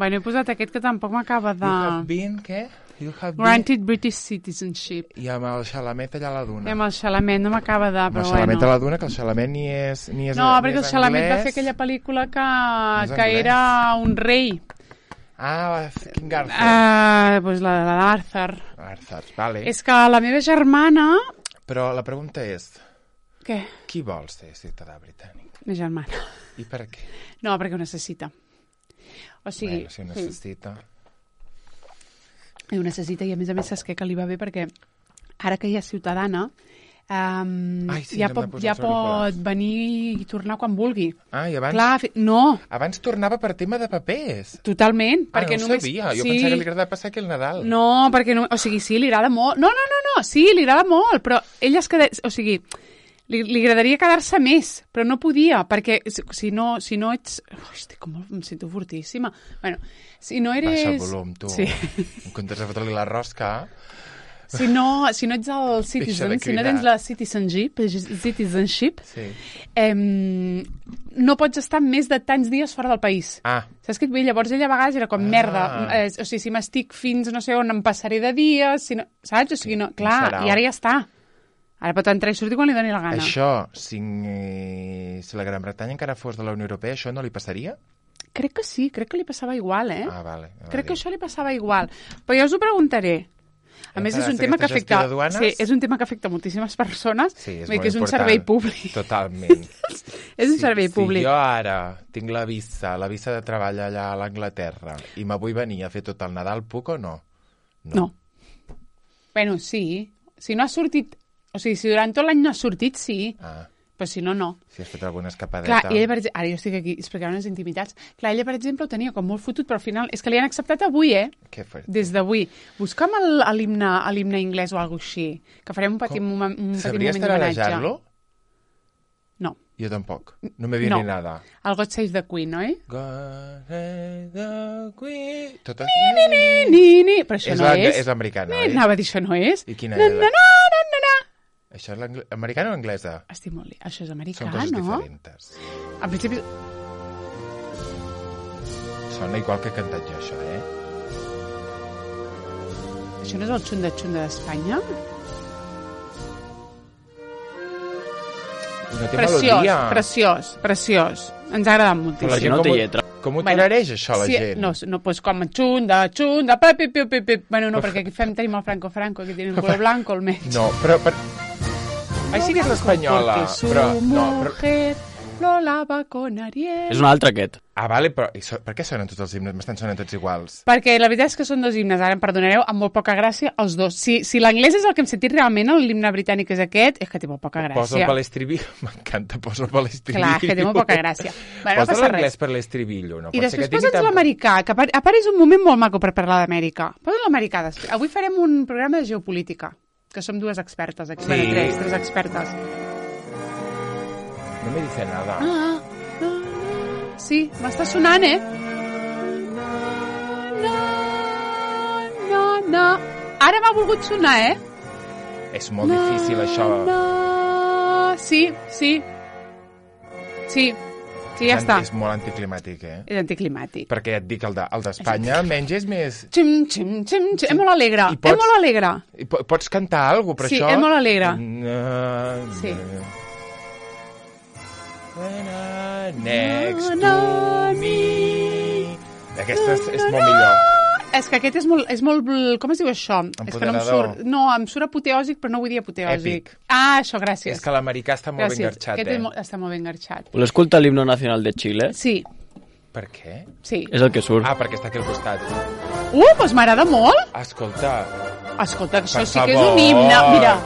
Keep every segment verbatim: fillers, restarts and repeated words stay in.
Bueno, he posat aquest que tampoc m'acaba de... You have been, què? You have been... Granted British citizenship. I amb el Xalamet allà a la duna. I amb el Xalamet no m'acaba de... Amb el Xalamet a la duna, que el Xalamet ni és, ni és No, ni perquè és el Xalamet anglès. va fer aquella pel·lícula que, és que era un rei. Ah, King Arthur. Uh, pues la, la d'Arthur. Arthur, vale. És que la meva germana... Però la pregunta és... Què? Qui vol ser ciutadà britànic? La germana. I per què? No, perquè ho necessita. O sigui... Bueno, si ho necessita... Sí. Ho necessita i a més a més saps què? Que li va bé perquè ara que ja és ciutadana um, Ai, sí, ja, pot, ja pot venir i tornar quan vulgui. Ah, i abans... Clar, fi... no. Abans tornava per tema de papers. Totalment. Ah, perquè no ho només... sabia. Jo sí. pensava que li agradava passar aquí el Nadal. No, perquè no... O sigui, sí, li agrada molt. No, no, no, no. Sí, li agrada molt, però ella es queda... O sigui... Li, li agradaria quedar-se més, però no podia, perquè si no, si no ets... Hosti, com em sento fortíssima. Bueno, si no eres... Baixa el volum, tu. Sí. En comptes de fotre-li la rosca... Si no, si no ets el citizen, si no tens la citizenship, citizenship sí. eh, no pots estar més de tants dies fora del país. Ah. Saps què et vull? Llavors ella a vegades era com, ah. merda, eh, o sigui, si m'estic fins no sé on em passaré de dies, si no, saps? O sigui, no, clar, i ara ja està. Ara pot entrar i sortir quan li doni la gana. Això, si, si la Gran Bretanya encara fos de la Unió Europea, això no li passaria? Crec que sí, crec que li passava igual, eh? Ah, vale. Crec que això li passava igual. Però jo us ho preguntaré. A més, és un tema que afecta... Sí, és un tema que afecta moltíssimes persones. Sí, és molt important. És un important. servei públic. Totalment. És un sí, servei públic. Si jo ara tinc la visa, la visa de treball allà a l'Anglaterra, i me vull venir a fer tot el Nadal, puc o no? No. no. Bueno, sí. Si no ha sortit... O sigui, si durant tot l'any no ha sortit, sí. Ah. Però si no, no. Si has fet alguna escapadeta... Clar, i ella, per exemple... Ara jo estic aquí explicant unes intimitats. Clar, ella, per exemple, ho tenia com molt fotut, però al final... És que li han acceptat avui, eh? Que fort. Des d'avui. Busca'm l'himne anglès o alguna cosa així. Que farem un petit, moment, un petit moment d'homenatge. Sabries tararejar-lo? No. Jo tampoc. No me viene no. nada. El God Save the Queen, oi? God Save the Queen... Tot ni, ni, ni, ni, ni. Però això és no és. És l'americana, oi? Anava a dir, això no és. I quina na, és? Na, na, na, na, na. Això és americana o anglesa? Estic molt... Això és americà, no? Són coses no? diferents. Al principi... Sona igual que he cantat jo, això, eh? Això no és el xunda-xunda d'Espanya? No té preciós, melodia. preciós, preciós. Ens ha agradat moltíssim. Però la gent no té lletra. Com ho tarareja, això, la sí, gent? No, no, pues com xunda, xunda, pepi, pepi, pepi. Bueno, no, perquè aquí fem, tenim el Franco Franco, que tiene el color blanco, el mig. No, però... Per... Ai, sí que és l'espanyola, però... No, però... lo lava con Ariel. És un altre, aquest. Ah, vale, però so, per què sonen tots els himnes? M'estan sonant tots iguals. Perquè la veritat és que són dos himnes, ara em perdonareu, amb molt poca gràcia, els dos. Si, si l'anglès és el que hem sentit realment, l'himne britànic és aquest, és que té molt poca gràcia. Posa per l'estribillo, m'encanta, posa per l'estribillo. Clar, que té molt poca gràcia. Bueno, posa no l'anglès per l'estribillo. No I pot després ser que posa'ns tan... l'americà, que a part és un moment molt maco per parlar d'Amèrica. Posa l'americà després. Avui farem un programa de geopolítica, que som dues expertes aquí. Sí. Bueno, tres, tres expertes. No me dice nada. Ah, no, no. Sí, m'està sonant, eh? No, no, no. Ara m'ha volgut sonar, eh? És molt no, difícil, això. No. Sí, sí. Sí, sí, ja és, està. És molt anticlimàtic, eh? És anticlimàtic. Perquè ja et dic, el d'Espanya de, almenys és més... Xim, xim, xim, xim. És molt alegre, pots, és molt alegre. I pots cantar alguna cosa, però sí, això... Sí, és molt alegre. No, sí. Next no, to me. Aquesta és, és molt millor. És que aquest és molt, és molt... Com es diu això? És que no em surt... No, em surt apoteòsic, però no vull dir apoteòsic. Èpic. Ah, això, gràcies. És que l'americà està molt gràcies. ben garxat, aquest eh? Aquest està molt ben garxat. Voleu escoltar l'himno nacional de Xile? Sí. Per què? Sí. És el que surt. Ah, perquè està aquí al costat. Uh, doncs m'agrada molt. Escolta. Escolta, això per sí que favor. és un himne. Mira,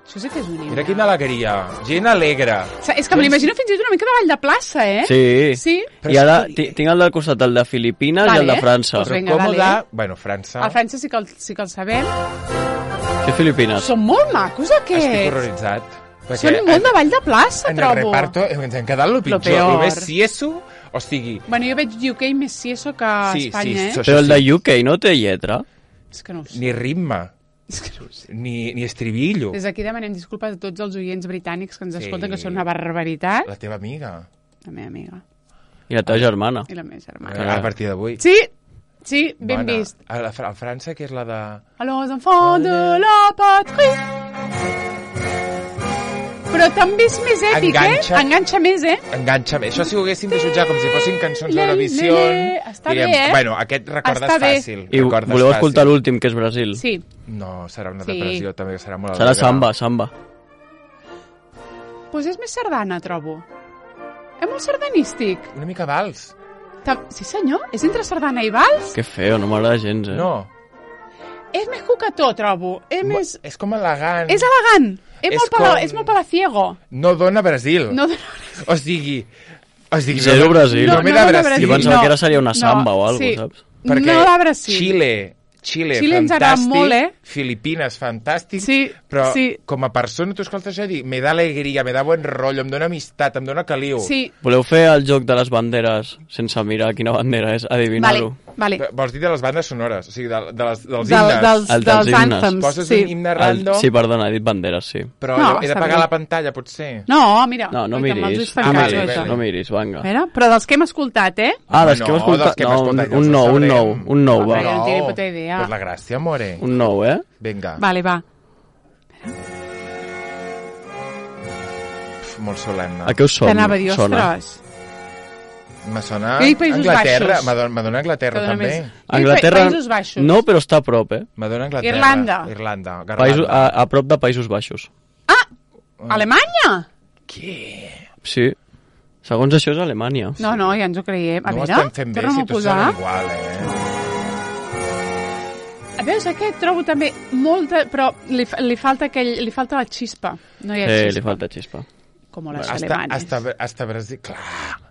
això sí que és un himne. Mira quina alegria. Gent alegre. És que me l'imagino fins i tot una mica de ball de plaça, eh? Sí. Sí. I ara tinc el del costat, el de Filipines vale. i el de França. Pues Però venga, còmode... dale. Bueno, França... El França sí que el, sí que el sabem. Què Filipines? Són molt macos, aquests. Estic horroritzat. Són molt de ball de plaça, en trobo. En el reparto ens hem quedat el pitjor. Lo El més sieso, o sigui... Bueno, jo veig U K més sieso que sí, Espanya, sí, eh? Però el de U K no té lletra. És que no ho sé. Ni ritme. És que no ho sé. Ni, ni estribillo. Des d'aquí demanem disculpes a tots els oients britànics que ens sí. escolten, que són una barbaritat. La teva amiga. La meva amiga. I la teva germana. I la meva germana. A partir d'avui. Sí, Sí, ben Bona. vist. A, la, a França, que és la de... Alors, enfants de la patrie. Però també és més èpic, Enganxa. eh? Enganxa més, eh? Enganxa bé. Això si ho haguéssim de jutjar com si fossin cançons Le, d'Eurovisió... le, le. Està bé, eh? Bueno, aquest recordes Està bé. fàcil. I recordes voleu fàcil. escoltar l'últim, que és Brasil? Sí. No, serà una Sí. depressió, també serà molt Serà alegre. samba, samba. Doncs pues és més sardana, trobo. És molt sardanístic. Una mica vals. Ta- Sí, senyor, és entre sardana i vals. Que feo, no m'agrada gens, eh? No. És més cucató, trobo. És Mo- més... És com elegant. És elegant. És, És molt, pala... com- és molt palaciego. No dona Brasil. No, O sigui... O sigui Zero Brasil. No, no, no, dona Brasil. Jo pensava no. que ara seria una samba No, o alguna sí. cosa, saps? Perquè no de Brasil. Xile, Xile, Xile ens agrada fantàstic, molt, eh? Filipines, fantàstic, Sí, però sí. com a persona tu escoltes això i dic, me da alegria, me da buen rotllo, em dona amistat, em dona caliu. Sí, Voleu fer el joc de les banderes sense mirar quina bandera és? vale, Adivinar-ho. vale. Vols dir de les bandes sonores, o sigui, de, de les, dels Del, himnes. dels, El dels dels himnes. anthems, Poses sí. un himne El- random, Sí, perdona, he dit banderes, sí. però No, no, he està d'apagar bé. la pantalla, potser. No, mira. No, no oi, que me'ls miris. ulls fan Ah, cas, vale, oi, vale. que- No miris, vinga. A veure, però dels que hem escoltat, eh? Ah, dels No, que hem escoltat... dels que hem No, escoltat, ja un els nou, un sabrem. nou, un nou, Home, va. jo no tinc ni puta idea. Pues la gràcia, more. Un nou, eh? Vinga, Vale, va. Pf, molt solemne. A què us sona? T'anava a dir, Sona. ostres. Me sona Jo dic Països Anglaterra, Baixos. me dona, me dona Anglaterra Que dona també. més- Anglaterra... Països Baixos. No, però està a prop, eh? Me dona Anglaterra. Irlanda. Irlanda. Garlanda. Països, a, a prop de Països Baixos. Alemanya? Què? Sí. Segons això és Alemanya. No, no, ja ens ho creiem. A no ho veure, estem fent bé, torna'm si a tu posar. sona igual, eh? A veure, aquest trobo també molta... Però li, fa- li, falta aquell, li falta la xispa. No hi ha Eh, xispa. li falta xispa. Com les Hasta, alemanes. hasta, hasta Brasil, clar,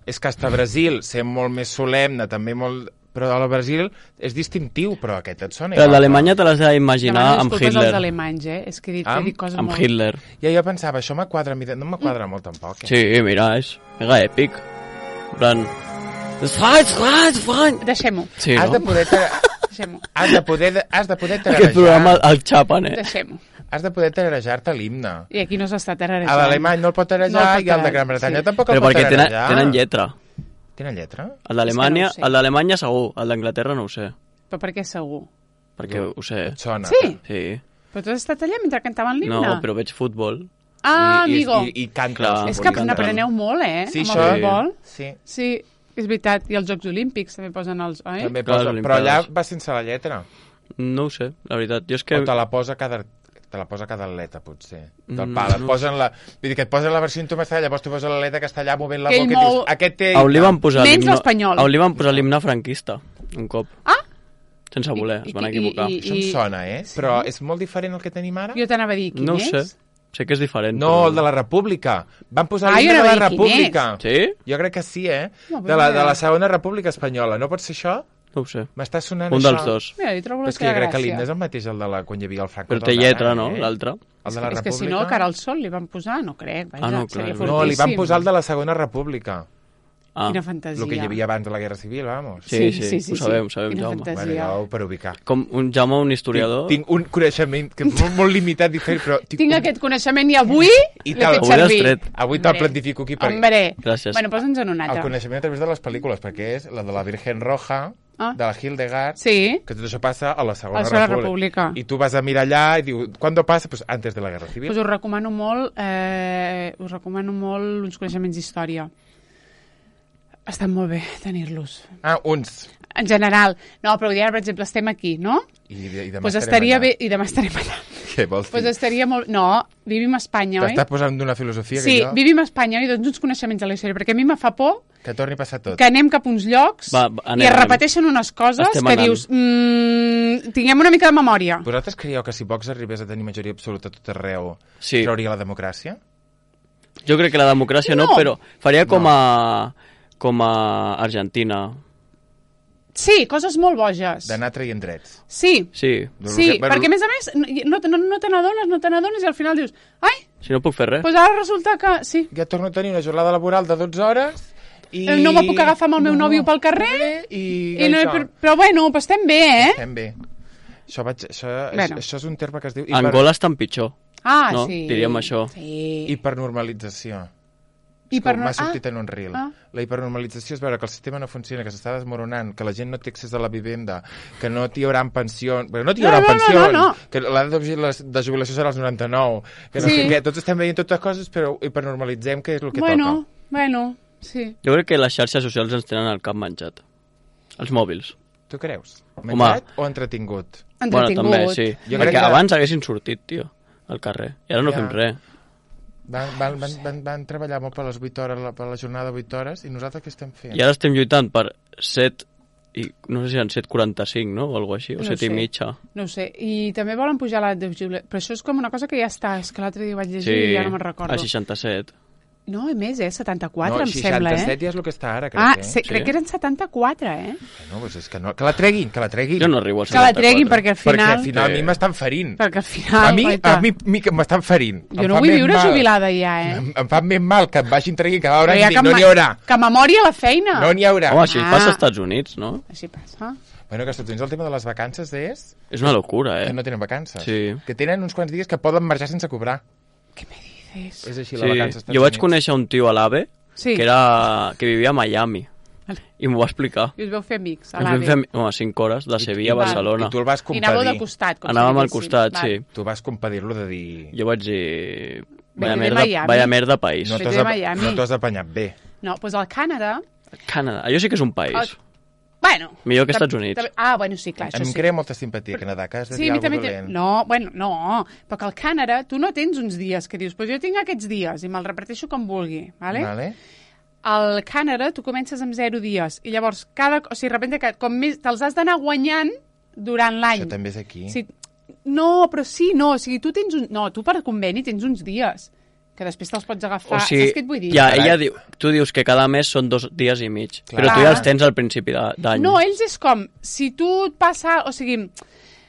és que hasta Brasil, ser molt més solemne, també molt... Però al Brasil és distintiu, però aquest et sona Però igual. l'Alemanya te l'has d'imaginar Demano amb disculpes Hitler. als alemanys, eh? És que he dit, Amb- he dit coses Amb molt... Hitler. Ja jo pensava, això m'quadra, mira, no m'quadra molt tampoc. Eh? Sí, mira, és mega èpic. En plan... Freud, Freud, Freud! Deixem-ho, Sí, Has de no? poder... Ter... deixem-ho, Has de poder, has de poder Aquest programa tararejar, el xapen, eh? deixem-ho. has de poder tararejar-te l'himne. I aquí no s'està A tararejant. l'alemany no el pot tararejar No el pot i el de tararejar, Gran Bretanya sí. tampoc Però el pot perquè tenen, tararejar. tenen lletra. Tenen lletra? El d'Alemanya, És que no ho sé. el d'Alemanya segur, el d'Anglaterra no ho sé, Però per què segur? perquè ho sé. Et sona? Sí? Sí. Però tu has estat allà mentre cantaven l'himne? No, però veig futbol. Ah, I, amigo. I, i, i canta. Clar. el És futbol, que i canta. n'apreneu molt, eh? Sí, amb això... el futbol. Sí. Sí, és veritat. I els Jocs Olímpics també posen els... Oi? També Clar, posa, les però allà Olimpiades. va sense la lletra. No ho sé, la veritat. Jo és Que... que... O te la posa cada te la posa cada atleta, potser. Del Mm, pal. Et no posen la... Vull dir que et posen la versió instrumental, llavors tu poses l'atleta que està allà movent la Que boca ell i dius, mou- aquest té... A on li van posar Menys l'himne- l'espanyol. a on li van posar l'himne franquista, un cop. Ah! Sense voler, I- es van i- equivocar. i- Això em sona, eh? Però és molt diferent el que tenim ara? Jo t'anava a dir quin No ho és. sé, sé que és diferent. No, però... el de la República. Van posar Ah, l'himne jo de la anava a dir quin República. Sí? Jo crec que sí, eh? No, però De la, no. de la segona República Espanyola. No pot ser això? No ho sé. M'està sonant Un això. dels dos. Mira, hi trobo Però la és que jo seva crec que l'himne és gràcia. el mateix, el de la, quan hi havia el Franco. Però té lletra, no? L'altre. El de la És que si República... no, cara al sol li van posar, no crec. Vaja, Ah, no, clar, seria és No, li van fortíssim. posar el de la segona República. Ah, Quina fantasia. El que hi havia abans de la Guerra Civil, vamos. sí, sí, ho sabem, ho sabem, Quina Jaume. fantasia. Bueno, jo per ubicar. com un Jaume, un historiador... Tinc, tinc un coneixement que és molt, molt limitat, diferent, però... Tinc, Tinc un... aquest coneixement i avui I l'he tal. fet Avui l'has servir. tret. Avui te'l Hombre. plantifico aquí. Per... Hombre. Gràcies. Bueno, posa'ns en un El altre. coneixement a través de les pel·lícules, perquè és la de la Virgen Roja, Ah. de la Hildegard, Sí, que tot això passa a la Segona, A la Segona República. República. I tu vas a mirar allà i diu, ¿cuándo pasa? Pues antes de la Guerra Civil. doncs us recomano molt, eh, us recomano molt uns coneixements d'història. Estan molt bé tenir-los. Ah, uns. En general. No, però ara, per exemple, estem aquí, no? I, i demà Pues estarem estaria allà. bé... I demà estarem allà. Què vols dir? Pues estaria molt... No, vivim a Espanya, oi? T'estàs posant d'una filosofia Sí, que jo... vivim a Espanya, oi? Doncs uns coneixements de la història, perquè a mi me fa por Que torni a passar tot. que anem cap a uns llocs Va, va, anem, i es anem. repeteixen unes coses Estem que anant. dius... Mm, tinguem una mica de memòria. Vosaltres creieu que si Vox arribés a tenir majoria absoluta a tot arreu, Sí. trauria la democràcia? Jo crec que la democràcia no, No. però faria com a com a Argentina. Sí, coses molt boges. D'anar traient drets. Sí, Sí, sí, Bueno, perquè a més a més no, no, no te n'adones, no te n'adones i al final dius, ai, si no puc fer res. doncs ara resulta que sí, Ja torno a tenir una jornada laboral de dotze hores i... no me puc agafar amb el meu nòvio pel carrer i, i no, això. però, però bueno, però estem bé, eh? Estem bé. Això, vaig, això, és, Bueno. això és un terme que es diu Angola està en pitjor. Ah, No, sí. diríem això. Sí. hipernormalització. per M'ha no... sortit ah, en un reel. ah. La hipernormalització és veure que el sistema no funciona, que s'està desmoronant, que la gent no té accés a la vivenda, que no t'hi haurà pensions... Bé, no t'hi haurà No, no, no, pensions, no, no. que l'edat de, de jubilació serà als noranta-nou, que no Sí. sé què. Tots estem veient totes coses, però hipernormalitzem que és el que Bueno, toca. bueno, sí. Jo crec que les xarxes socials ens tenen el cap menjat. Els mòbils. Tu creus? Home. Menjat o entretingut? Bueno, Entretingut. també, sí. Jo Perquè crec que- abans haguessin sortit, tio, al carrer. I ara no Ja. fem res. Van, van, van, van, van treballar molt per les vuit hores, la- per la jornada de vuit hores, i nosaltres què estem fent? I ara estem lluitant per set i no sé si eren set quaranta-cinc, no? O alguna així, o No set sé. i mitja. No ho sé. I també volen pujar l'edat de jubilació. Però això és com una cosa que ja està. És que l'altre dia vaig llegir Sí, i ja no me'n recordo. a seixanta-set. No, i més, eh? setanta-quatre, no, em sembla, seixanta-set eh? ja és el que està ara, crec, Ah, eh? sí, crec Sí. que eren setanta-quatre, eh? No, doncs és que no. Que la treguin, que la treguin. Jo no arribo a Que la setanta-quatre. treguin, perquè al Perquè final... al final a Sí. mi m'estan ferint. Perquè al final... A mi, guaita, a mi, mi que m'estan ferint. Jo Em no fa vull més viure mal. jubilada ja, eh? Em, em fa més mal que em vagin traient cada hora Però i ja dic, que no ma- n'hi haurà. Que memòria a la feina. No n'hi haurà. Home, així Ah. passa als Estats Units, no? Així passa. Bueno, que als Estats Units el tema de les vacances és És una locura, eh? que no tenen vacances. Sí. Que tenen uns quants dies que poden marxar sense cobrar. Què me dices? És així, Sí. la vacança als Estats Jo vaig Units. conèixer un tio a l'AVE Sí. que, era... que vivia a Miami Vale. i m'ho va explicar. I us veu fer amics, a Ens vam l'AVE. fer home, cinc hores de Sevilla a Val. Barcelona. I tu el vas I anàveu de compadir. costat. Com si Anàvem al diguéssim. costat, Val. sí. Tu vas compadir-lo de dir... Jo vaig dir... Ve Vaya de merda, Miami. vaya merda país. No Ve t'has de ap- Miami. no t'has apanyat bé. No, doncs al Canadà... Canadà. Allò sí que és un país. El- Bueno... Millor que tam- Estats Units. tam- Ah, bueno, sí, clar, això Em sí. crea molta simpatia, Canadà, que has de Sí, dir a mi alguna també... cosa Té... dolent. No, bueno, no. Però que al Canadà tu no tens uns dies que dius, pues jo tinc aquests dies i me'ls reparteixo com vulgui, vale? Vale? Al Canadà tu comences amb zero dies i llavors cada... O sigui, de repente, que com més te'ls has d'anar guanyant durant l'any. Això també és aquí. Sí, no, però sí, no. O sigui, tu tens un... No, tu per conveni tens uns dies que després te'ls pots agafar. O sigui, Saps què et vull dir? ja, Carai. ella diu, tu dius que cada mes són dos dies i mig, Clar. però tu ja els tens al principi de- d'any. No, ells és com, si tu et passa... O sigui,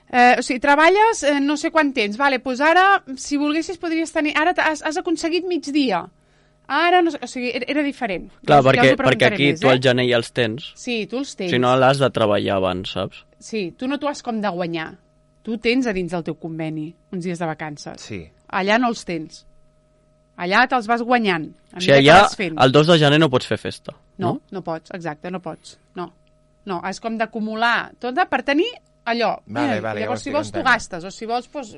eh, o sigui treballes eh, no sé quant temps, vale, doncs ara, si volguessis, podries tenir... Ara has, has aconseguit migdia. Ara, no sé, o sigui, era, era diferent. Clar, Ja us- ja us perquè, ho perquè preguntaré aquí més, tu eh? al gener ja els tens, Sí, tu els tens. si no l'has de treballar abans, saps? Sí, tu no t'ho has com de guanyar. Tu tens a dins del teu conveni uns dies de vacances. Sí. Allà no els tens. Allà te'ls vas guanyant. A O sigui, mesura que allà vas fent. el dos de gener no pots fer festa, No, no? no pots, exacte, no pots. No, no, és com d'acumular tot per tenir allò. Vale, Eh, vale, ja ho llavors, si estic vols, tu entenent. gastes, o si vols, doncs,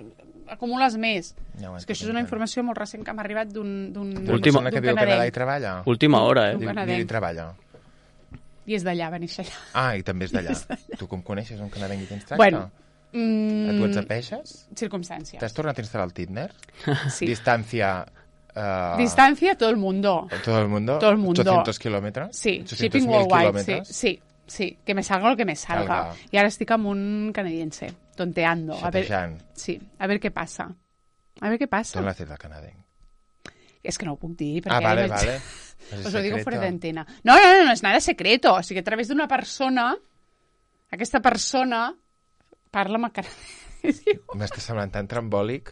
acumules més. Ja ho és que estic això és una entenent. informació molt recent que m'ha arribat d'un d'un Una Última- persona que d'un viu a Canadà i canadenc. treballa. Última hora, Un eh? Diu, canadenc. diu, i treballa. I és d'allà, va néixer allà. Ah, i també és d'allà. Tu com coneixes un canadenc i tens tracte? Bueno, A mm, tu ets a peixes? circumstàncies. T'has tornat a instal·lar el Tinder? Sí. Distancia... Uh, Distancia, todo el mundo. Todo el mundo. Todo el mundo. ochocientos kilómetros. Sí, ochocientos shipping mil worldwide, sí, kilómetros. sí, sí, que me salga lo que me salga. Salga. Y ahora estic amb un canadiense, tonteando. A ver, Xatejant. sí, a ver qué pasa. A ver qué pasa. D'on l'has fet el canadenc? Es que no ho puc dir, perquè... Ah, vale, vaig- vale. Os lo digo fuera de antena. No, no, no, no és nada secreto. O sigui, a través d'una persona, aquesta persona parla amb el canadiense. M'està semblant tan trambòlic.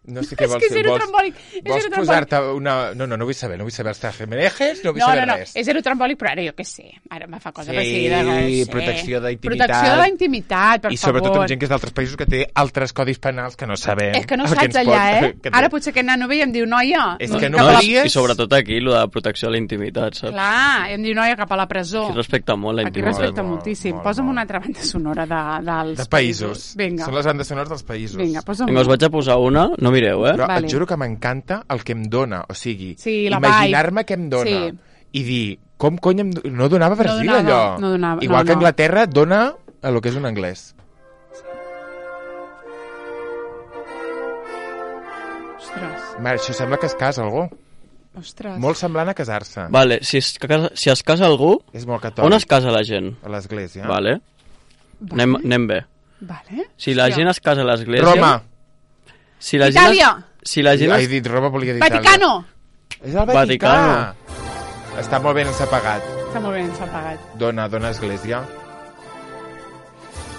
No sé què És vols que fer. zero Vols, trambòlic. És vols zero trambòlic. posar-te una... No, no, no vull saber. No vull saber els trajemenejes, no vull No, saber no, no, res. és zero trambòlic, però ara jo què sé. Ara me fa cosa Sí, per seguida. no sé. protecció d'intimitat. Protecció de la intimitat, per I sobretot favor. amb gent que és d'altres països que té altres codis penals que no sabem. És que no el saps ens allà, pot- eh? que té. Ara potser aquest nano ve i em diu, noia... És que no cap a la... faries- I sobretot aquí, lo de la protecció de la intimitat, saps? Clar, em diu, noia, cap a la presó. Aquí respecta molt la Aquí intimitat. respecta Molt, moltíssim. molt, Posa'm molt. una altra banda sonora de, dels De països. Vinga, Són les bandes sonores dels països. vinga, posa'm Vinga, us vaig a posar una, no mireu, eh? Però Vale. et juro que m'encanta el que em dona. O sigui, Sí, la imaginar-me què em dona. Sí. I dir, com cony em... do- No donava Brasil, donava, allò. no donava, Igual no, que no. Anglaterra dona a lo que és un anglès. Ostres, Mare, això sembla que es casa algú. ostres. Molt semblant a casar-se. Vale, si es, casa, si es casa algú, És molt catòlic. on es casa la gent? A l'església. Vale. Vale. Anem, anem bé. Vale. Si la Hòstia. gent es casa a l'església... Roma. Si la gent es, Itàlia. si la gent He es, dit Roma, volia dir Itàlia. Vaticano. És el Vaticà. Vaticano. Està molt ben sepagat. Està molt ben separat. Dona, dona església.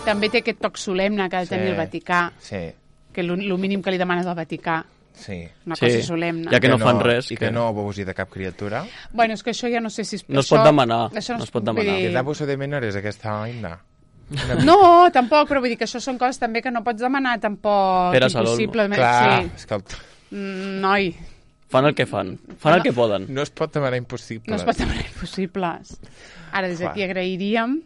També té aquest toc solemne que ha de tenir Sí. el Vaticà, Sí, que el mínim que li demanes al Vaticà, sí. una Sí, cosa solemne. ja que no fan res, I que- que no abusi de cap criatura. Bueno, és que això ja no sé si... És... No es això, pot demanar, Això no es pot demanar. vull Que dir- d'abuso de menores, aquesta oina. No, tampoc, però vull dir que això són coses també que no pots demanar tampoc Pere Salol, no? impossiblement. Clar, Sí. és que el... Mm, noi, Fan el que fan. Fan el que poden. No es pot demanar impossibles. No es pot demanar impossibles. Ara, des d'aquí agrairíem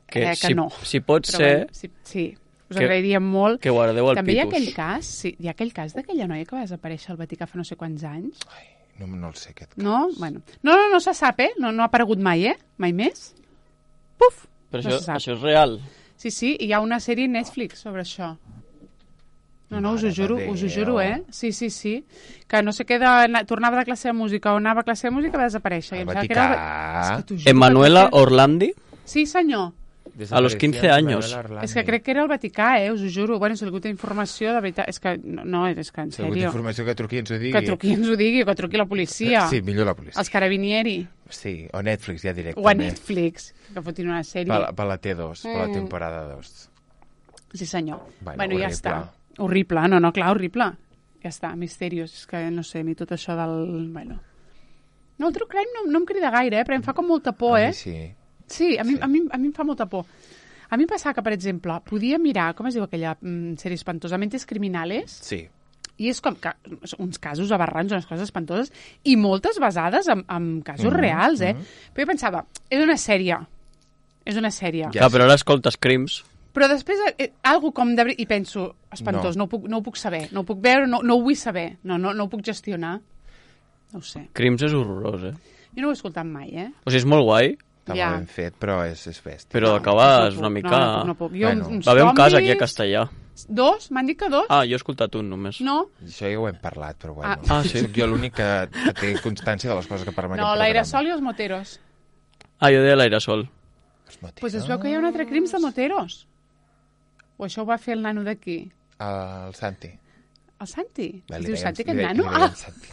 Que, eh, que si, no. si pot Però ser bueno, sí, sí, us que- agrairíem molt. que guardeu el També hi ha pitus. aquell cas, sí, hi ha aquell cas d'aquella noia que va desaparèixer al Vaticà fa no sé quants anys. Ai, no, no el sé, aquest cas. No? Bueno. No, no, no se sap, eh? No, no ha aparegut mai, eh? Mai més. Puf! Però no això, se sap. això és real. Sí, sí, hi ha una sèrie a Netflix sobre això. No, no, us ho Mare de juro, us ho Déu. juro, eh? Sí, sí, sí. Que no sé què, de, tornava de classe de música o anava a classe de música i va desaparèixer. I Al em sembla que era el- Vaticà. És que t'ho juro Emanuela que no sé. Orlandi, Sí, senyor. a los quince años. És que crec que era el Vaticà, eh? Us ho juro. Bueno, si algú té informació, de veritat... És que, no, no és que en Si algú té sèrio. informació que truqui i ens ho digui. Que truqui i ens ho digui, que truqui la policia. Sí, millor la policia. Els carabinieri. Sí, o Netflix ja directament. O a Netflix, que fotin una sèrie. Per, la- per la T dos, per la Mm. temporada dos. Sí, senyor. Bueno, Bueno, ja horrible. està. Horrible, no, no, clar, horrible. Ja està, misterios. És que no sé, ni tot això del... Bueno. No, el true crime no, no em crida gaire, eh? Però em fa com molta por, A eh? mi sí. Sí, a mi, Sí. A, mi, a mi em fa molta por. A mi em passava que, per exemple, podia mirar, com es diu aquella mm, sèrie espantosa, Mentes Criminales, Sí. i és com que, uns casos aberrants, unes coses espantoses, i moltes basades en, en casos Mhm, reals, eh? mhm. Però jo pensava, és una sèrie. És una sèrie. Ja. Clar, però ara escoltes crims. Però després, eh, algo com de... I penso, espantós, no, No. no, ho, puc, no ho puc saber, no ho puc veure, no, no ho vull saber, no, no, no ho puc gestionar. No ho sé. Crims és horrorós, eh? Jo no ho he escoltat mai, eh? O sigui, és molt guai, Està Ja. molt ben fet, però és, és bèstia. però No, acabes no una puc, mica... No, no puc, no puc. Jo, Bueno. uns Va haver un cas aquí a zombis, Castellà. Dos? M'han dit que dos? Ah, jo he escoltat un només. No? Això ja ho hem parlat, però bueno. Ah. Ah, sí? Soc jo l'únic que, que té constància de les coses que parlem en No, aquest l'aerosol i els moteros. Ah, jo deia l'aerosol. programa. Doncs pues es veu que hi ha un altre crims de moteros. O això ho va fer el nano d'aquí? El Santi. El Santi? Va, Es li diu dèiem- Santi, li aquest dèiem- nano? li dèiem Ah, Santi.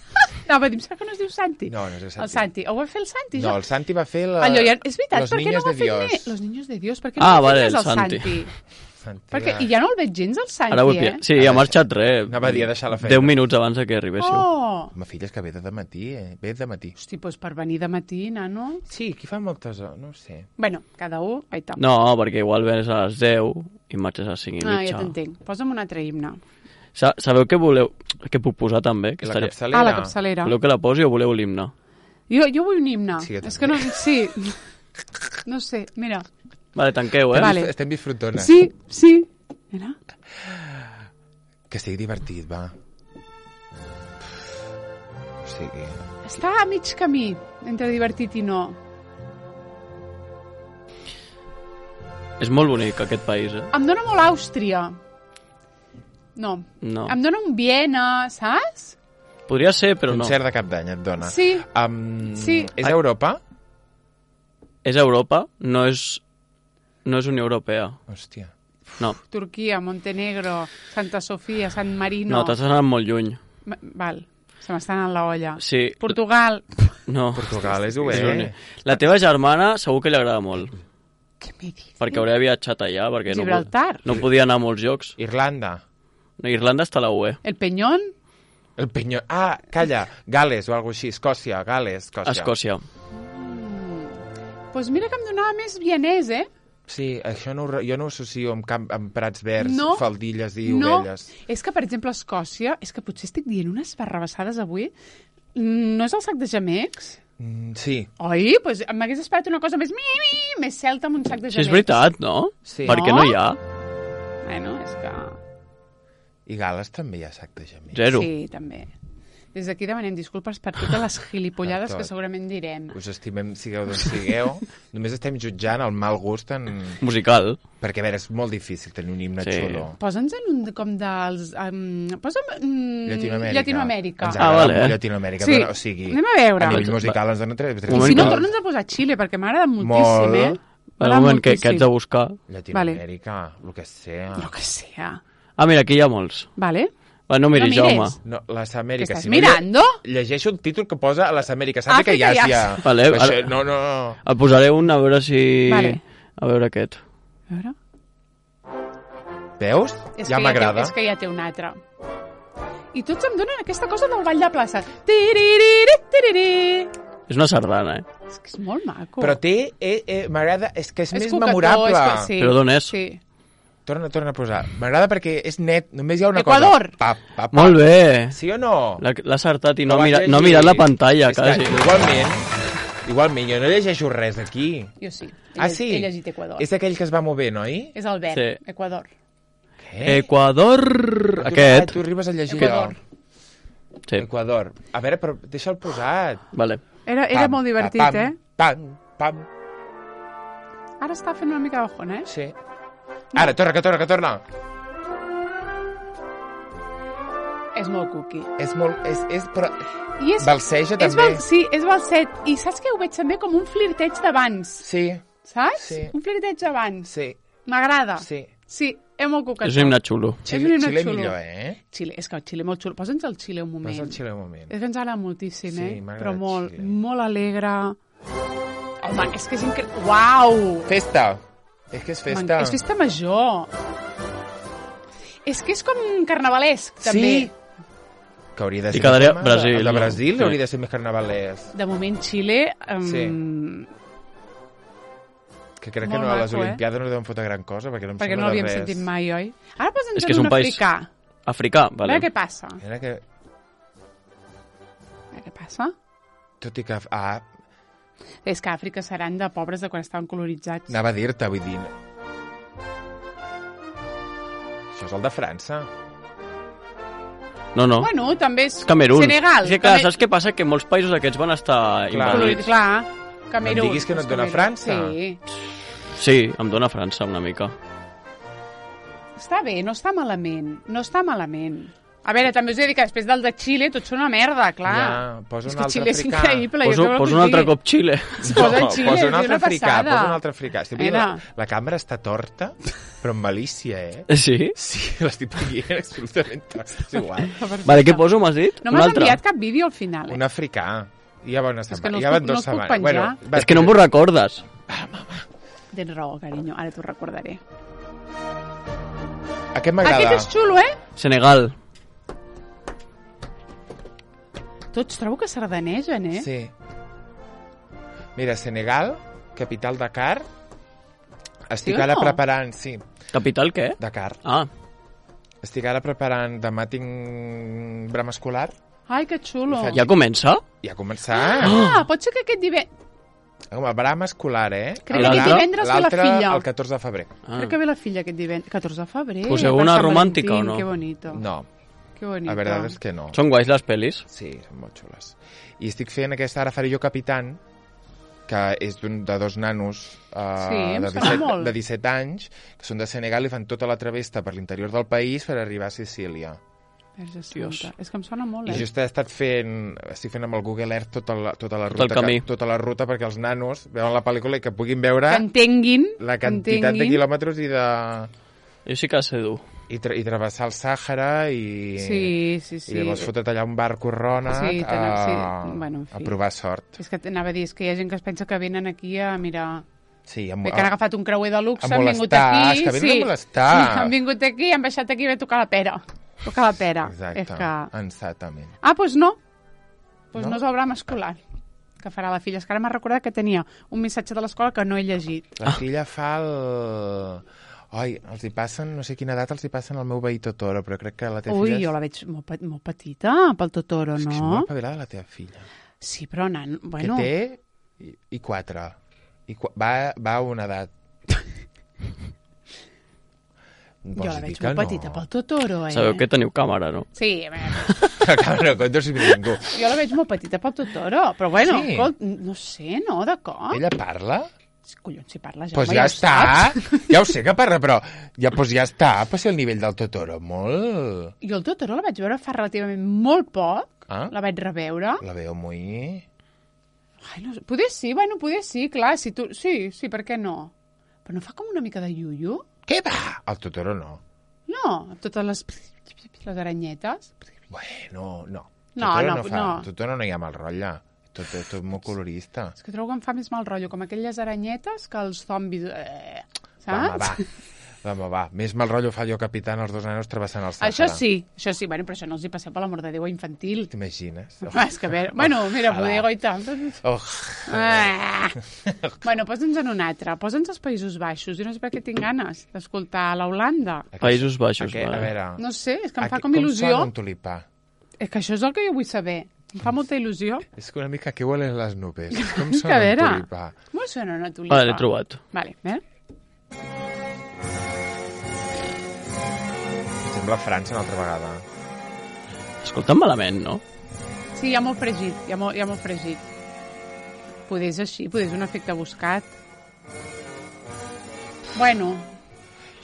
no, va dir, em sembla que no es diu Santi. No, no és el Santi. El Santi. Ho va fer el Santi, No, jo? el Santi va fer la... Allò, ja, és veritat, Los per què no Niños va de fer Dios. més? Los Niños de Dios, per què no Ah, va fer vale, més el el Santi. Santi? Santi Perquè, va- I ja no el veig gens, el Santi, Ara ho he eh? pillat. Sí, ha marxat res. Anava a dir a deixar la feina. deu minuts abans de que arribéssiu. Oh! Ma filla és que ve de matí, eh? Ve de matí. Hosti, doncs per venir de matí, nano... Sí, aquí fa moltes hores, no ho sé. Bueno, cada un... Ai, tam. No, perquè igual vens a les deu i marxes a les cinc i Ah, mitja. ja t'entenc. Posa'm un altre himne. Sa sabeu què voleu? Què puc posar també? Que I la estaria... capçalera? Ah, la capçalera. Voleu que la posi o voleu l'himne? Jo, jo vull un himne. Sí, jo és també. que no... Sí. No sé, mira. Vale, tanqueu, eh? Vale. Estem disfrutones. Sí, sí. Mira. Que sigui divertit, va. O sigui... Està a mig camí entre divertit i no. És molt bonic aquest país, eh? Em dóna molt Àustria. No. No. Em dóna un Viena, saps? Podria ser, però no. Concert de cap d'any et dona. Sí. Um, Sí. És a Europa? És Europa, no és... No és Unió Europea. Hòstia. No, Turquia, Montenegro, Santa Sofia, San Marino... no, t'has anat molt lluny. Ma- Val, se m'està anant la olla. Sí. Portugal. No. Portugal és És obert. Unió. La teva germana segur que li agrada molt, Què m'he dit? perquè hauria viatjat allà, perquè no, Gibraltar. no podia anar a molts llocs. Irlanda. No, Irlanda està a la U E. El Peñón. El Penyó... Ah, calla. Gales o alguna així. Escòcia. Gales, Escòcia. Escòcia. Doncs pues mira que em donava més vienès, eh? Sí, això no, ho re- jo no ho associo amb, camp, amb prats verds, No. faldilles i No, ovelles. és que, per exemple, a Escòcia, és que potser estic dient unes barrabassades avui, no és el sac de gemecs? Mm, sí, Oi? Doncs pues m'hagués esperat una cosa més, mi, mi, més celta amb un sac de Sí, gemecs. és veritat, no? sí. Per què No? no hi ha? Bueno, és que... I Gales també hi ha sac de gemecs. Zero. Sí, també. Des d'aquí demanem disculpes per totes les gilipollades Per tot. que segurament direm. Us estimem, sigueu d'on sigueu. Només estem jutjant el mal gust en... Musical. Perquè, a veure, és molt difícil tenir un himne Sí. xulo. Posa'ns en un de- com dels... Um, posa'm... Um, Llatinoamèrica. Llatinoamèrica. Ens Ah, agrada vale. molt Llatinoamèrica. Sí. Dona, o sigui, Anem a veure. a nivell musical ens dona tres. tres Un I si no, moment, torna'ns a posar Xile, perquè m'agrada moltíssim, Molt. eh? Un M'agrada moment, que, que moltíssim. haig de buscar. Llatinoamèrica, el que sea. Lo que sea. Ah, mira, aquí hi ha molts. Vale. Va, no miris, No mires. Jaume. No, les ¿Qué Amèriques. estás si mirando? No, lle- llegeixo el títol que posa a les Amèriques. Àfrica i Àfrica i Àsia. Àsia. Vale, Això, ara- no, no... El posaré un a veure si... Vale. A veure aquest. A veure. Veus? És Ja que m'agrada. té, és que ja té un altre. I tots em donen aquesta cosa del ball de plaça. Tiririri, tiriri. És una sardana, eh? És que és molt maco. Però té... Eh, eh, m'agrada... És que és, és més coquetó, memorable. És que, sí. Però d'on és? Sí. Torna, torna a posar. M'agrada perquè és net, només hi ha una Equador. cosa. Pa, pa, pa. Molt bé. Sí o no? L'ha l'ha acertat i no, Ho ha vas mira, llegir. no ha mirat la pantalla, És que, quasi. igualment, igualment, jo no llegeixo res aquí. Jo sí. He Ah, llegit- sí? He llegit Equador. És aquell que es va mover, noi? És el verb, Sí. Equador. Què? Equador... Tu- Ah, Aquest. tu arribes a llegir Equador. allò. Sí, Equador. A veure, però deixa'l posat. vale. Era, era Pam, molt divertit, pa, pam, eh? Pam, pam. Ara està fent una mica de bajón, eh? Sí. Ara, torna, que torna, que torna. És molt cookie. És molt... És, és, però... I és, Balseja, és també. Val, sí, és balset. I saps què? Ho veig també com un flirteig d'abans. Sí, Saps? Sí. Un flirteig d'abans. sí, M'agrada. sí. Sí, és molt coquetó. És un himne xulo. És un Xile, himne Xile xulo. millor, eh? Xile, és que el Xile molt xulo. Posa'ns el Xile un moment. Vas al Xile un moment. És que ens agrada moltíssim, Sí, eh? m'agrada Però el molt, Xile. molt alegre. Home, és que és increïble. Uau! Festa. És que és festa. És festa major. És que és com carnavalesc, també. Sí. Que hauria de I ser... quedaria com a- Brasil, El de no? Brasil Sí. hauria de ser més carnavalès. De moment, Xile... Um, Sí. Que crec que Molt no, a les maco, eh? Olimpiades no deuen fotre gran cosa, perquè no em perquè sembla no l'havíem de res. sentit mai, oi? Ara posa'ns És que és en un un país- africà. Africà, A vale. veure què passa. A Era que, veure què passa. tot i que... Ah, És que a Àfrica seran de pobres de quan estaven colonitzats. anava a dir-te, vull dir... Això és el de França. No, no. Bueno, també és Camerún. Senegal. És que, clar, Camer- saps què passa? Que molts països aquests van estar Clar. Colorit, invadits. clar. Camerún. No em diguis que no et És dona Camerún. França. Sí. Sí, em dóna França una mica. Està bé, no està malament. No està malament. A veure, també us he de dir que després del de Xile tots són una merda, clar. Ja, posa és un que altre Xile és africà. increïble. Poso, jo què poso vol un altre dir? cop Xile. Es posa en Xile, posa un és altre una africà, passada. posa un altre africà. Estic veient Era. la, la càmera està torta, però amb malícia, eh? Sí? Sí, l'estic veient absolutament torta. És igual. Vale, què poso, m'has dit? No un m'has altre. enviat cap vídeo al final, eh? Un africà. Ja van estar, És que no ja els van puc- dos no els puc setmanes. penjar. va, És que no m'ho recordes. Tens raó, carinyo. Ara t'ho recordaré. Aquest m'agrada. Aquest és xulo, eh? Senegal. Tots trobo que sardanegen, eh? Sí. Mira, Senegal, capital Dakar. Estic Sí o ara no? preparant, sí, Capital què? Dakar. Ah, Estic ara preparant, demà tinc brama escolar. Ai, que xulo. I faig- ja comença? Ja ha començat. Ah, pot ser que aquest divendres... Com a brama escolar, eh? Crec que aquest divendres ve la L'altre, filla. el catorze de febrer. Ah. Crec que ve la filla aquest divendres. catorze de febrer. Poseu per una Sant romàntica, Valentín, o no? Que bonito. No, Que bonito. la veritat és que no. Són guais les pel·lis? Sí, són molt xules. I estic fent aquesta, ara faré jo Capitán, que és d'un de dos nanos uh, Sí, em de, sona disset, molt. de disset anys, que són de Senegal i fan tota la travesta per l'interior del país per arribar a Sicília. Verge Dios. Santa. És que em sona molt, I eh? just he estat fent, estic fent amb el Google Earth tota la, tota la Tot ruta, el camí. que, tota la ruta perquè els nanos veuen la pel·lícula i que puguin veure Que entenguin. la que quantitat de entenguin. quilòmetres i de Jo sí que sé dur. i, tra i travessar el Sàhara i, Sí, sí, sí. i llavors fotre't allà un barco rònec Sí, a, tenen- sí. Bueno, en fi. a provar sort. És que t'anava a dir, és que hi ha gent que es pensa que venen aquí a mirar... Sí, a, Bé, que han agafat un creuer de luxe, a han vingut molestar, aquí... és que venen sí, a molestar. Sí, han vingut aquí i han baixat aquí i ve a tocar la pera. Tocar la pera. Exacte, És que... exactament. Ah, doncs pues no. Doncs pues No? no, és el brama escolar que farà la filla. És que ara m'ha recordat que tenia un missatge de l'escola que no he llegit. La filla fa el... Ai, els hi passen, no sé quina edat els hi passen al meu veí Totoro, però crec que la teva Ui, filla... és- jo la veig molt, pe- molt petita pel Totoro, És que és no? molt espavilada la teva filla. Sí, però, nan, bueno... Que té i, i quatre. I qu va, va a una edat. Jo Vols la dir veig que molt petita pel Totoro, eh? Sabeu que teniu càmera, no? Sí, a veure, Clar, no compto si ningú. jo la veig molt petita pel Totoro, però bueno, Sí. escolt, no sé, no, de cop? Ella parla? Collons, si parla ja, Doncs home, ja ho està. saps. Ja ho sé que parla, però ja, pues ja està. Passi el nivell del Totoro. Molt... Jo el Totoro la vaig veure fa relativament molt poc, Ah? la vaig reveure. La veu muy... Ai, no sé, poder sí, bueno, poder sí, clar, si tu... Sí, sí, per què no? Però no fa com una mica de iuiu? Què va? El Totoro no. No, amb totes les, les aranyetes. Bueno, no. No, Totoro no, no, fa. no. Totoro no hi ha mal rotlle. Tot, tot, tot molt colorista. És que trobo que em fa més mal rotllo, com aquelles aranyetes que els zombis... Eh, Va, saps? va, Home, va, més mal rotllo fa jo capitán els dos nanos travessant el Sàhara. Això sí, això sí, bueno, però això no els hi passeu per l'amor de Déu a infantil. T'imagines? Oh. Ah, és que a veure, bueno, mira, bodego i tal. Oh. Ah. Bueno, posa'ns en un altre, posa'ns als Països Baixos. Jo no sé per què tinc ganes d'escoltar l'Holanda. Països Baixos, Aquest, a vale. veure... No sé, és que em fa Aquí- com il·lusió. Com sona un tulipà? És que això és el que jo vull saber. Em fa molta il·lusió. És que una mica que huelen les nubes. Com Que a sona un veure, tulipà? com sona una tulipa? Vale, l'he trobat. Vale, eh? Sembla França una altra vegada. Escolta'm malament, no? Sí, hi ha molt fregit, hi ha molt, hi ha molt fregit. Poder és així, poder és un efecte buscat. Bueno,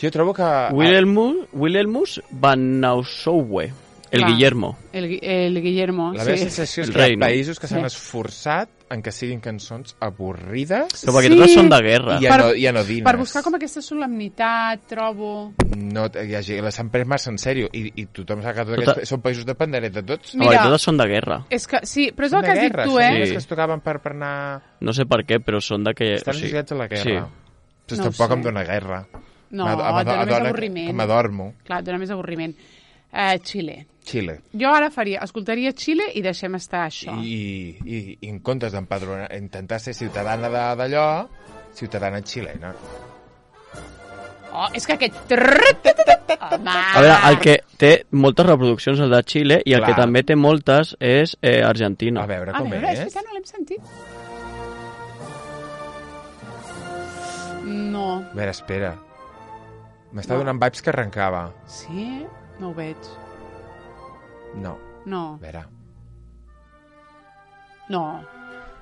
Jo trobo que... Wilhelmus, Wilhelmus van Nassauer, el Clar. Guillermo. el, Gui- el Guillermo, La meva sí. sensació és El que hi rei, ha no? països que s'han Sí. esforçat en que siguin cançons avorrides Però perquè Sí. totes són de guerra. i Per- ano- i anodines. Per buscar com aquesta solemnitat, trobo... No, hi ha, gent- les han pres massa en sèrio i, i tothom sap que tots Tota- aquests són països dependents de tots. No, Mira. perquè totes són de guerra. És que, sí, però és Són el que de has dit guerra, tu, són eh? les Sí. que es tocaven per, per anar... No sé per què, però són de que... Estan o sigui, associats a la guerra. Sí. Doncs No ho tampoc sé. em dóna guerra. No, M'ado- et dona més m'adona- avorriment. M'adormo. Clar, et dona més avorriment. Uh, Xile. Xile. Jo ara faria, escoltaria Xile i deixem estar això. I, i, i en comptes d'empadronar, intentar ser ciutadana de- d'allò, ciutadana xilena. Oh, és que aquest... Home! A veure, el que té moltes reproduccions és el de Xile i el Clar. que també té moltes és eh, Argentina. A veure A com veure, és és. veritat, no l'hem sentit. No. A veure, espera. M'està No. donant vibes que arrencava. Sí? No ho veig. No, No, a veure. no.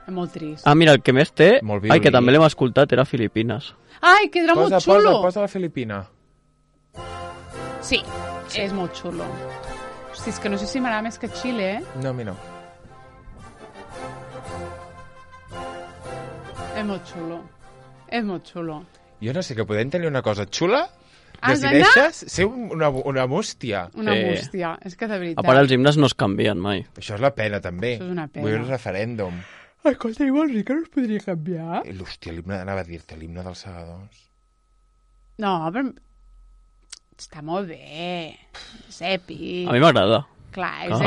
És molt trist. Ah, mira, el que més té, Molt ai, que violí. també l'hem escoltat, era Filipines. Ai, que era Posa, molt xulo. posa, posa la Filipina. Sí, és molt xulo. Hosti, és que no sé si m'agrada més que Xile, eh? No, a mi no. És molt xulo. És molt xulo. Jo no sé, que podem tenir una cosa xula, Has decideixes ser un- una, una bústia. Una Sí. bústia. És que de veritat... A part, els himnes no es canvien mai. Això és la pena, també. Això és una pena. Vull un referèndum. Escolta, i vols dir que no es podria canviar? I, Hòstia, l'himne, anava a dir-te, l'himne dels segadors. No, però... Està molt bé. És èpic. A mi m'agrada. Clar, és èpic.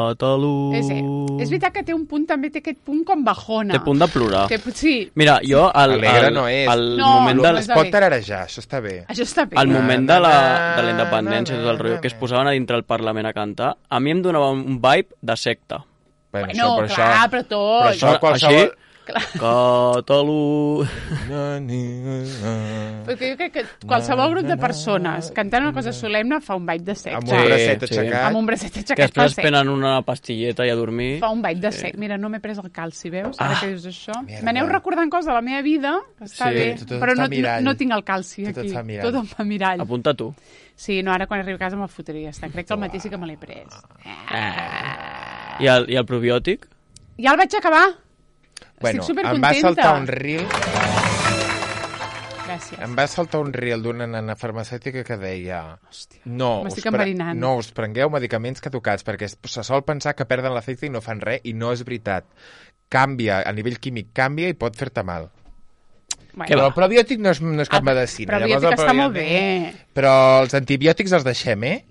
Catalunya. És, èpic. És veritat que té un punt, també té aquest punt com bajona. Té punt de plorar. Que, sí, Mira, jo... El, Alegre el, no és. El No, moment no del, és Es de pot bé. tararejar, això està bé. això està bé. el moment de la, Na, de la independència i tot el na, rotllo, na, que es na. posaven a dintre el Parlament a cantar, a mi em donava un vibe de secta. Bueno, Bueno, però clar, això, però tot. però això qualsevol... Així, Catalunya... Perquè jo crec que qualsevol grup de persones cantant una cosa solemne fa un vibe de sexe. Amb Sí, un bracet sí. aixecat. Amb un bracet Que aixecat després fa es sexe. prenen una pastilleta i a dormir. Fa un vibe de sexe. Mira, no m'he pres el calci, veus? Ara Ah. que dius això. Merda. M'aneu recordant coses de la meva vida, que està Sí. bé, Tot et però fa no, no, mirall. no tinc el calci Tot et aquí. fa mirall. Tot em fa mirall. Apunta tu. Sí, no, ara quan arribi a casa me'l fotria. Està. Crec que el matí sí que me l'he pres. I el, i el probiòtic? Ja el vaig acabar. Bueno, Estic em va supercontenta. saltar un reel, Gràcies. em va saltar un reel d'una nana farmacèutica que deia Hòstia, no, us m'estic pre- enverinant. no us prengueu medicaments caducats perquè es- se sol pensar que perden l'efecte i no fan res i no és veritat. Canvia, a nivell químic canvia i pot fer-te mal. Bueno, Què Però va? el probiòtic no és, no és cap medicina. Però Llavors, biòtic el està molt probiòtic- bé. Però els antibiòtics els deixem, eh?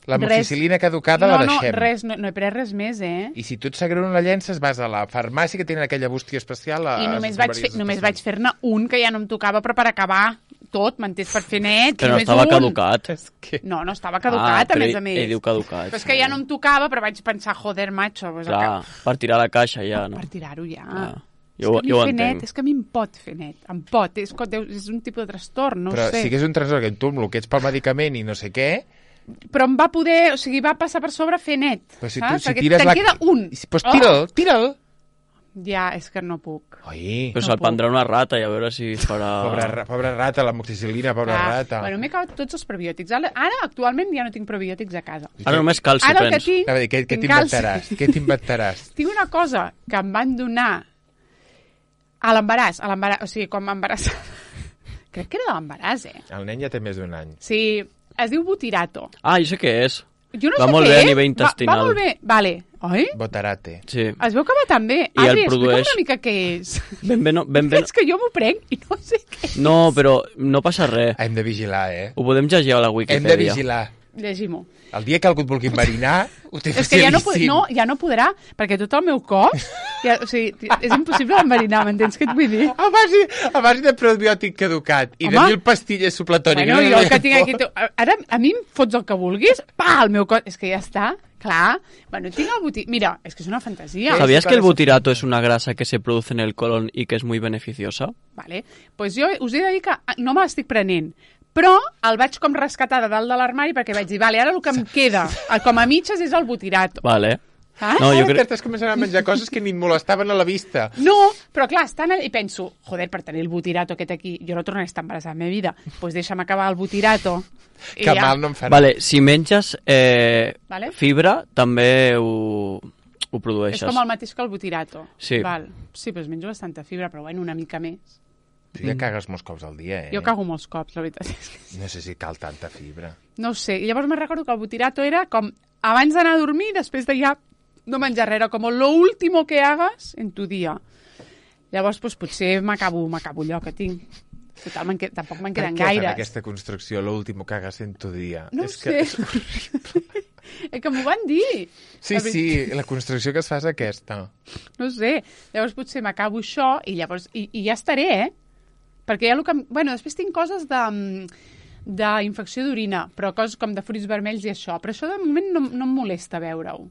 La Res. moxicil·lina caducada no, la no, deixem. res, no, no he pres res més, eh? I si tu et s'agrada una llences, vas a la farmàcia que tenen aquella bústia especial. A, I només a vaig, fer, només vaig fer-ne un que ja no em tocava, però per acabar tot, m'entens, per fer net. Que no només estava un. caducat. És que... No, no estava caducat, ah, a més però a més. Ell diu caducat. Però és que ja no em tocava, però vaig pensar, joder, macho, pues Clar, per tirar la caixa ja, no? per tirar-ho ja. Ah, És jo, que a mi jo ho fer entenc. net, és que a mi em pot fer net, em pot, és, que deu- és un tipus de trastorn, no Però ho sé. sí que és un trastorn que tu amb el que ets pel medicament i no sé què, Però em va poder, o sigui, va passar per sobre fer net, però si tu saps? si Perquè tires te'n la... queda un. Doncs pues tira'l, tira'l. Ja, és que no puc. Oi, Però No se'l puc. prendrà una rata i a veure si farà... pobra, ra- pobra rata, la moxicil·lina, pobra Ah, rata. Bueno, m'he acabat tots els probiòtics. Ara, ara, actualment, ja no tinc probiòtics a casa. Ara només calci Ara el que prens. tinc... A veure, què, què tinc calci. t'inventaràs? Què t'inventaràs? Tinc una cosa que em van donar a l'embaràs, a l'embaràs, o sigui, quan m'embarassava. Crec que era de l'embaràs, eh? El nen ja té més d'un any. Sí, es diu butirato. Ah, jo sé què és. Jo no Va sé molt què bé a és. nivell Va, intestinal. va molt bé, vale. Oi? Botarate. Sí. Es veu que va tan bé. I el Adri, explica'm produeix- una mica què és. Ben bé, no, ben bé. És que jo m'ho prenc i no sé què. No, però no passa res. Hem de vigilar, eh? Ho podem llegir a la Hem de Wikipedia. vigilar. Llegim-ho. El dia que algú et vulgui enverinar, ho té És que ja no, pod- facilíssim. no, ja no podrà, perquè tot el meu cos... Ja, o sigui, és impossible enverinar, m'entens què et vull dir? A base, a base de probiòtic caducat i de Home. mil pastilles supletòniques. Bueno, jo el que tinc aquí... tu- Ara, a mi em fots el que vulguis, pa, el meu cos... És que ja està, clar. Bueno, tinc el botí... Mira, és que és una fantasia. Sí. ¿Sabías sí, que el claro, butirato es una grasa que se produce en el colon y que es muy beneficiosa? Vale. Pues jo us he de dir que no me l'estic prenent, però el vaig com rescatar de dalt de l'armari perquè vaig dir, vale, ara el que em queda, com a mitges, és el butirato. Vale. Saps? No, jo Jo crec... Estàs començant a menjar coses que ni et molestaven a la vista. No, però clar, estan allà i penso, joder, per tenir el butirato aquest aquí, jo no tornaré a estar embarassada en la meva vida, doncs pues deixa'm acabar el butirato. I Que ja. mal no em farà. Vale, si menges eh, Vale. fibra, també ho, ho produeixes. És com el mateix que el butirato. Sí. Val. Sí, però menjo bastanta fibra, però bueno, una mica més. Tu ja cagues molts cops al dia, eh? Jo cago molts cops, la veritat. és que- No sé si cal tanta fibra. No ho sé. I llavors me recordo que el butirato era com abans d'anar a dormir, després de ja no menjar res, era com lo último que hagas en tu dia. Llavors, doncs, potser m'acabo m'acabo allò que tinc. Total, me'n que... tampoc me'n Per queden què fan gaires. aquesta construcció, l'últim que hagas en tu dia? No ho és sé. Que és horrible. És que m'ho van dir. Sí, La sí, la construcció que es fa és aquesta. No ho sé. Llavors potser m'acabo això i llavors... I, i ja estaré, eh? Perquè ja el que... em- Bueno, després tinc coses de d'infecció d'orina, però coses com de fruits vermells i això. Però això de moment no, no em molesta veure-ho.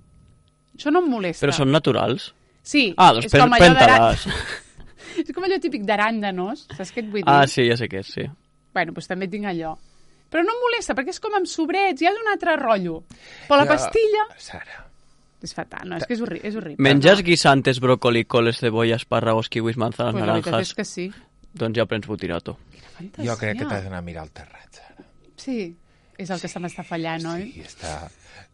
Això no em molesta. Però són naturals? Sí. Ah, doncs és com allò d'ara- pren-te-les. És com allò típic d'aràndanos, saps què et vull dir? Ah, sí, ja sé què és, sí. Bueno, doncs també tinc allò. Però no em molesta, perquè és com amb sobrets, ja és un altre rotllo. Però la Ja, pastilla... Sara. És fatal, no, és que és, horri és horrible. Menges guisantes, brócoli, coles, cebolla, espárragos, kiwis, manzanas, Pues la veritat naranjas... és que sí. Doncs ja prens butirato. Fantasia. Jo crec que t'has d'anar a mirar el terrat, Sara. Sí, és el que se m'està fallant, oi? Sí, està...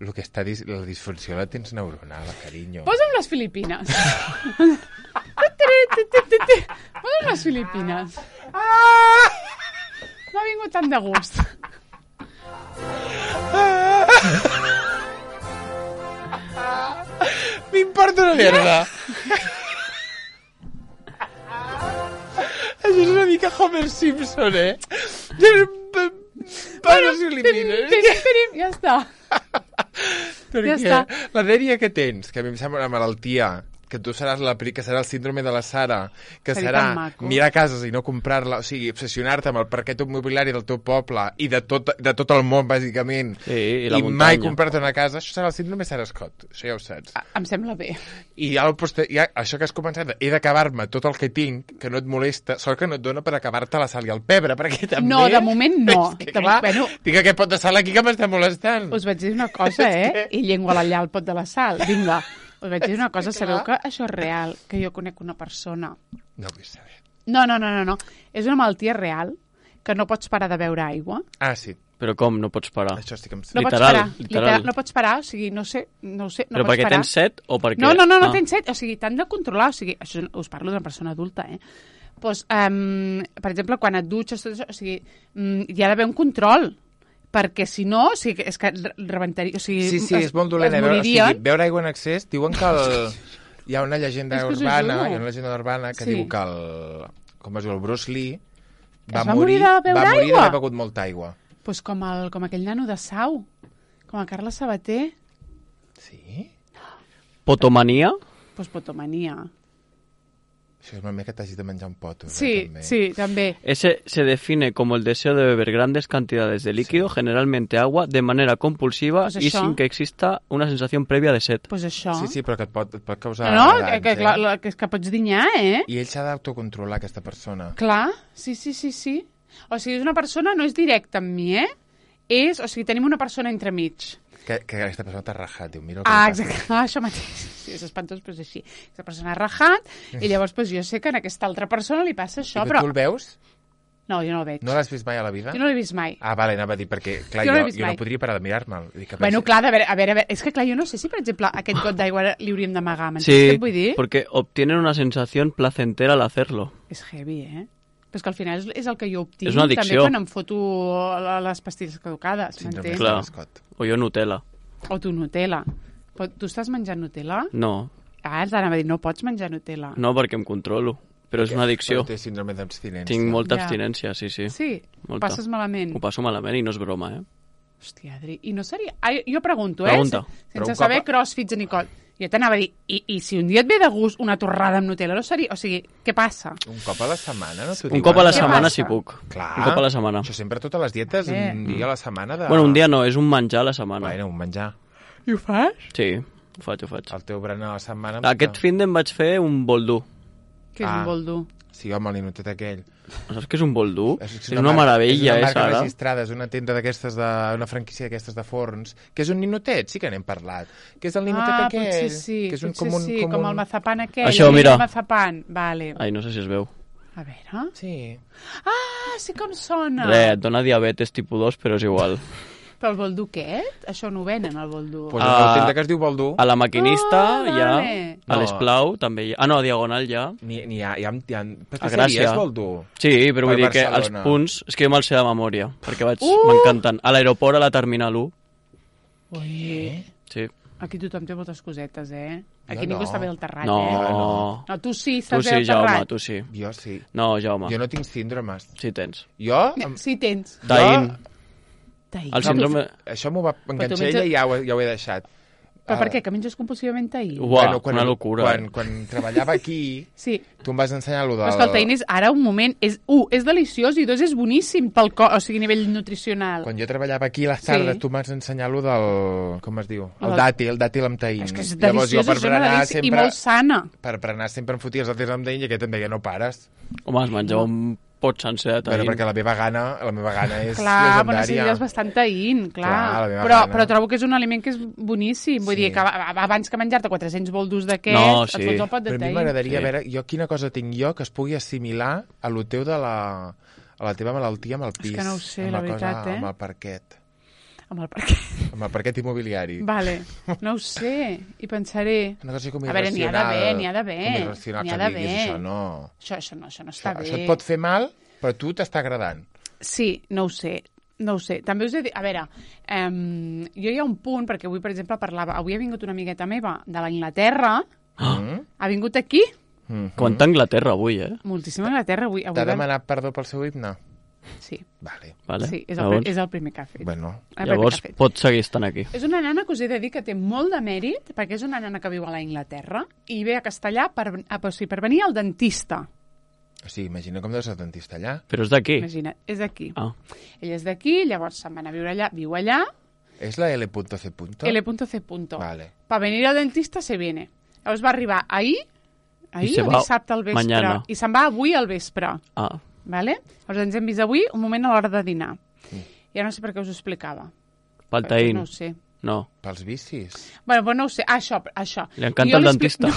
El que està dis... la disfunció la tens neuronal, carinyo. Posa'm les Filipines. Posa'm les Filipines. M'ha vingut tant de gust. M'importa una merda. Això és una mica Homer Simpson, eh? Para si elimines. Tenim, tenim, ja està. Perquè Ja està. la dèria que tens, que a mi em sembla una malaltia, que tu seràs la, pri- que serà el síndrome de la Sara, que Seria serà tan maco. mirar cases i no comprar-la, o sigui, obsessionar-te amb el parquet immobiliari del teu poble i de tot, de tot el món, bàsicament, Sí, i la i muntanya. mai comprar-te una casa, això serà el síndrome Sara Scott, això ja ho saps. Ah, em sembla bé. I ja, el poste... ja això que has començat, he d'acabar-me tot el que tinc, que no et molesta, sort que no et dona per acabar-te la sal i el pebre, perquè també... No, de moment no. És que, De clar, moment- bueno. tinc aquest pot de sal aquí que m'està molestant. Us vaig dir una cosa, eh? I llengua allà al pot de la sal. Vinga. Us vaig dir una cosa, sabeu que això és real, que jo conec una persona. No vull saber. No, no, no, no, no. És una malaltia real, que no pots parar de beure aigua. Ah, sí, Però com no pots parar? això estic amb... No Literal, pots parar. literal. No pots parar, o sigui, no sé, no ho sé, no Però pots perquè parar. tens set o perquè... No, no, no, no Ah. tens set. O sigui, t'han de controlar. O sigui, això us parlo d'una persona adulta, eh? Pues, um, per exemple, quan et dutxes, tot això, o sigui, um, hi ha d'haver un control, perquè si no, o sigui, és que re- rebentaria... O sigui, Sí, sí, es, és molt dolent. es eh, Veure, o sigui, moririen. beure aigua en excés, diuen que el... hi ha una llegenda És que us ho urbana, juro. hi ha una llegenda urbana que Sí. diu que el... com es diu, el Bruce Lee Es va morir de beure va morir aigua? d'haver begut molta aigua. Pues com, el, com aquell nano de Sau, com el Carles Sabater, Sí? Potomania? pues potomania. Això és una mica que t'hagis de menjar un pot. Sí, també. sí, també. Ese se define como el deseo de beber grandes cantidades de líquido, generalmente agua, de manera compulsiva Pues y això. sin que exista una sensación previa de sed. Pues això. Sí, sí, però que et pot, et pot causar... No, no, danys, que, que, eh? clar, la- que, és que pots dinyar, eh? I ell s'ha d'autocontrolar, aquesta persona. Clar, sí, sí, sí, sí. O sigui, és una persona, no és directa amb mi, eh? És, o sigui, tenim una persona entremig. Que, que aquesta persona t'ha rajat, diu, mira el que Ah, li passa. exacte, ah, això mateix. Sí, és espantós, però és així. Aquesta persona ha rajat i llavors pues, jo sé que a aquesta altra persona li passa això, I que però... tu el veus? No, jo no el veig. No l'has vist mai a la vida? Jo no l'he vist mai. Ah, vale, anava a dir, perquè, clar, Jo jo, no l'he jo, vist jo mai. no podria parar de mirar-me'l. Vull dir que Bueno, pensi- clar, a veure, a veure, a veure, és que clar, jo no sé si, per exemple, aquest got d'aigua li hauríem d'amagar, m'entens Sí, què et vull dir? porque obtienen una sensación placentera al hacerlo. És heavy, eh? Però és que al final és, és el que jo obtinc És una també addicció. quan em foto la- les pastilles caducades, Síndrome m'entens? Clar. de Scott. O yo Nutella. O tu Nutella. Però tu estàs menjant Nutella? No, Ah, els anava a dir, no pots menjar Nutella. no perquè em controlo, però és una addicció. Però té síndrome d'abstinència. Tinc molta Ja. abstinència, sí, sí. Sí? Molta. Passes malament? Ho passo malament i no és broma, eh? Hòstia, Adri, i no seria... Ah, jo pregunto, eh? Pregunta. Sense Però un saber cop- crossfits ni cot. Jo t'anava a dir, i, i si un dia et ve de gust una torrada amb Nutella, no seria... O sigui, què passa? Un cop a la setmana, no t'ho Un diuen? cop a la Què setmana passa? si puc. Clar. Un cop a la setmana. Això sempre a totes les dietes, Vale. un dia a la setmana de... Bueno, un dia no, és un menjar a la setmana. Bueno, un menjar. I ho fas? Sí, ho faig, ho faig. El teu berenar a la setmana... Aquest fin d'en vaig fer un boldú. Què és Ah. un boldo? Sí, home, el ninotet aquell. Saps què és un boldú? És, És una meravella, és eh, una marca Sara? registrada, és una tenda d'aquestes, de, una franquícia d'aquestes de forns, que és un ninotet, sí que n'hem parlat. Que és el ninotet Ah, aquell. potser sí, que és un, potser com un, sí, com, com, un... el mazapan aquell. Això, el mira. mazapan, vale. Ai, no sé si es veu. A veure... Sí. Ah, sí que em sona. Res, et dona diabetes tipus dos, però és igual. Però el boldú aquest? Això no ho venen, el boldú. Pues Ah. el tenda que es diu Boldú, A la maquinista Ah, hi ha... vale. A No. l'Esplau també hi ha... Ah, no, a Diagonal hi ha. n'hi n'hi ha, hi ha, hi ha... A Pastisseries, Gràcia. Boldú. Sí, però Per vull dir que els Barcelona. punts... És que jo me'ls sé de memòria, perquè vaig... Uh! M'encanten. A l'aeroport, a la Terminal u. Ui, Sí. aquí tothom té moltes cosetes, eh? Aquí Jo ningú no. està bé al terrat, No. eh? no. No, tu sí, Tu estàs bé sí, al Jaume, terrat. tu sí. Jo sí. No, Jaume. Jo no tinc síndromes. Sí tens. Jo... Mira, em- sí tens. Taín. Taïn. El síndrome... Això m'ho va enganxar menges- ella i ja ho, ja ho he deixat. Però per Ara- què? Que menges compulsivament taïn? Uah, una locura. Quan, quan treballava aquí, Sí. tu em vas ensenyar allò del... Però és que el taïn és, ara, un moment, és, un, és deliciós i dos, és boníssim pel cos, o sigui, a nivell nutricional. Quan jo treballava aquí a les tardes, Sí. tu em vas ensenyar allò del... Com es diu? El El- dàtil, el dàtil amb taïn. És que és Llavors jo deliciós, per és una berenar delícia, i sempre... molt sana. Per berenar sempre em fotia els dàtils amb taïn i aquest em deia no pares. Home, es menjava un pot sencer de Però taïn. perquè la meva gana, la meva gana és Clar, però legendària. necessites bastant taïn, clar. Clar, la meva però, gana. però trobo que és un aliment que és boníssim. Vull Sí. dir que a- a- abans que menjar-te quatre-cents boldus d'aquests, No, et sí. fots el pot de Però a mi taïn. m'agradaria Sí. veure jo quina cosa tinc jo que es pugui assimilar a lo teu de la, a la teva malaltia amb el pis. que no ho sé, amb la cosa, veritat, eh? Amb el parquet. Amb el perquè... Amb el parquet immobiliari. Vale, no ho sé, i pensaré... Una cosa com A veure, n'hi ha irracional. d'haver, n'hi ha d'haver. Com irracional N'hi que ha diguis, d'haver. això no. Això, això no, això no Això, està bé. això et pot fer mal, però a tu t'està agradant. Sí, no ho sé. No ho sé. També us he dit... A veure, um, jo hi ha un punt, perquè avui, per exemple, parlava... Avui ha vingut una amigueta meva de l'Anglaterra, Mm? ha vingut aquí, Mm. Quanta Anglaterra avui, eh? moltíssima Anglaterra. Avui, avui T'ha vam- demanat perdó pel seu himne? Sí, Vale. Vale. sí és, el, Llavors, pri- és el primer que ha fet. Bueno, El primer llavors que ha fet. pot seguir estant aquí. És una nana que us he de dir que té molt de mèrit, perquè és una nana que viu a la Inglaterra i ve a Castellà per, a, o sigui, per venir al dentista. o sigui, imagina com deu ser el dentista allà. Però és d'aquí. Imagina't, és d'aquí. Ah. Ella és d'aquí, llavors se'n va anar a viure allà, viu allà, És la L C. L.C. Vale. Per venir al dentista se viene. Llavors va arribar ahir, ahir se o va dissabte al vespre, mañana. i se'n va avui al vespre. Ah. Vale? Llavors ens hem vist avui un moment a l'hora de dinar. Ja no sé per què us ho explicava. Pel Perquè taïn. No ho sé. No. Pels vicis. Bueno, però no ho sé. Ah, això, això. Li encanta Jo el li expli- dentista.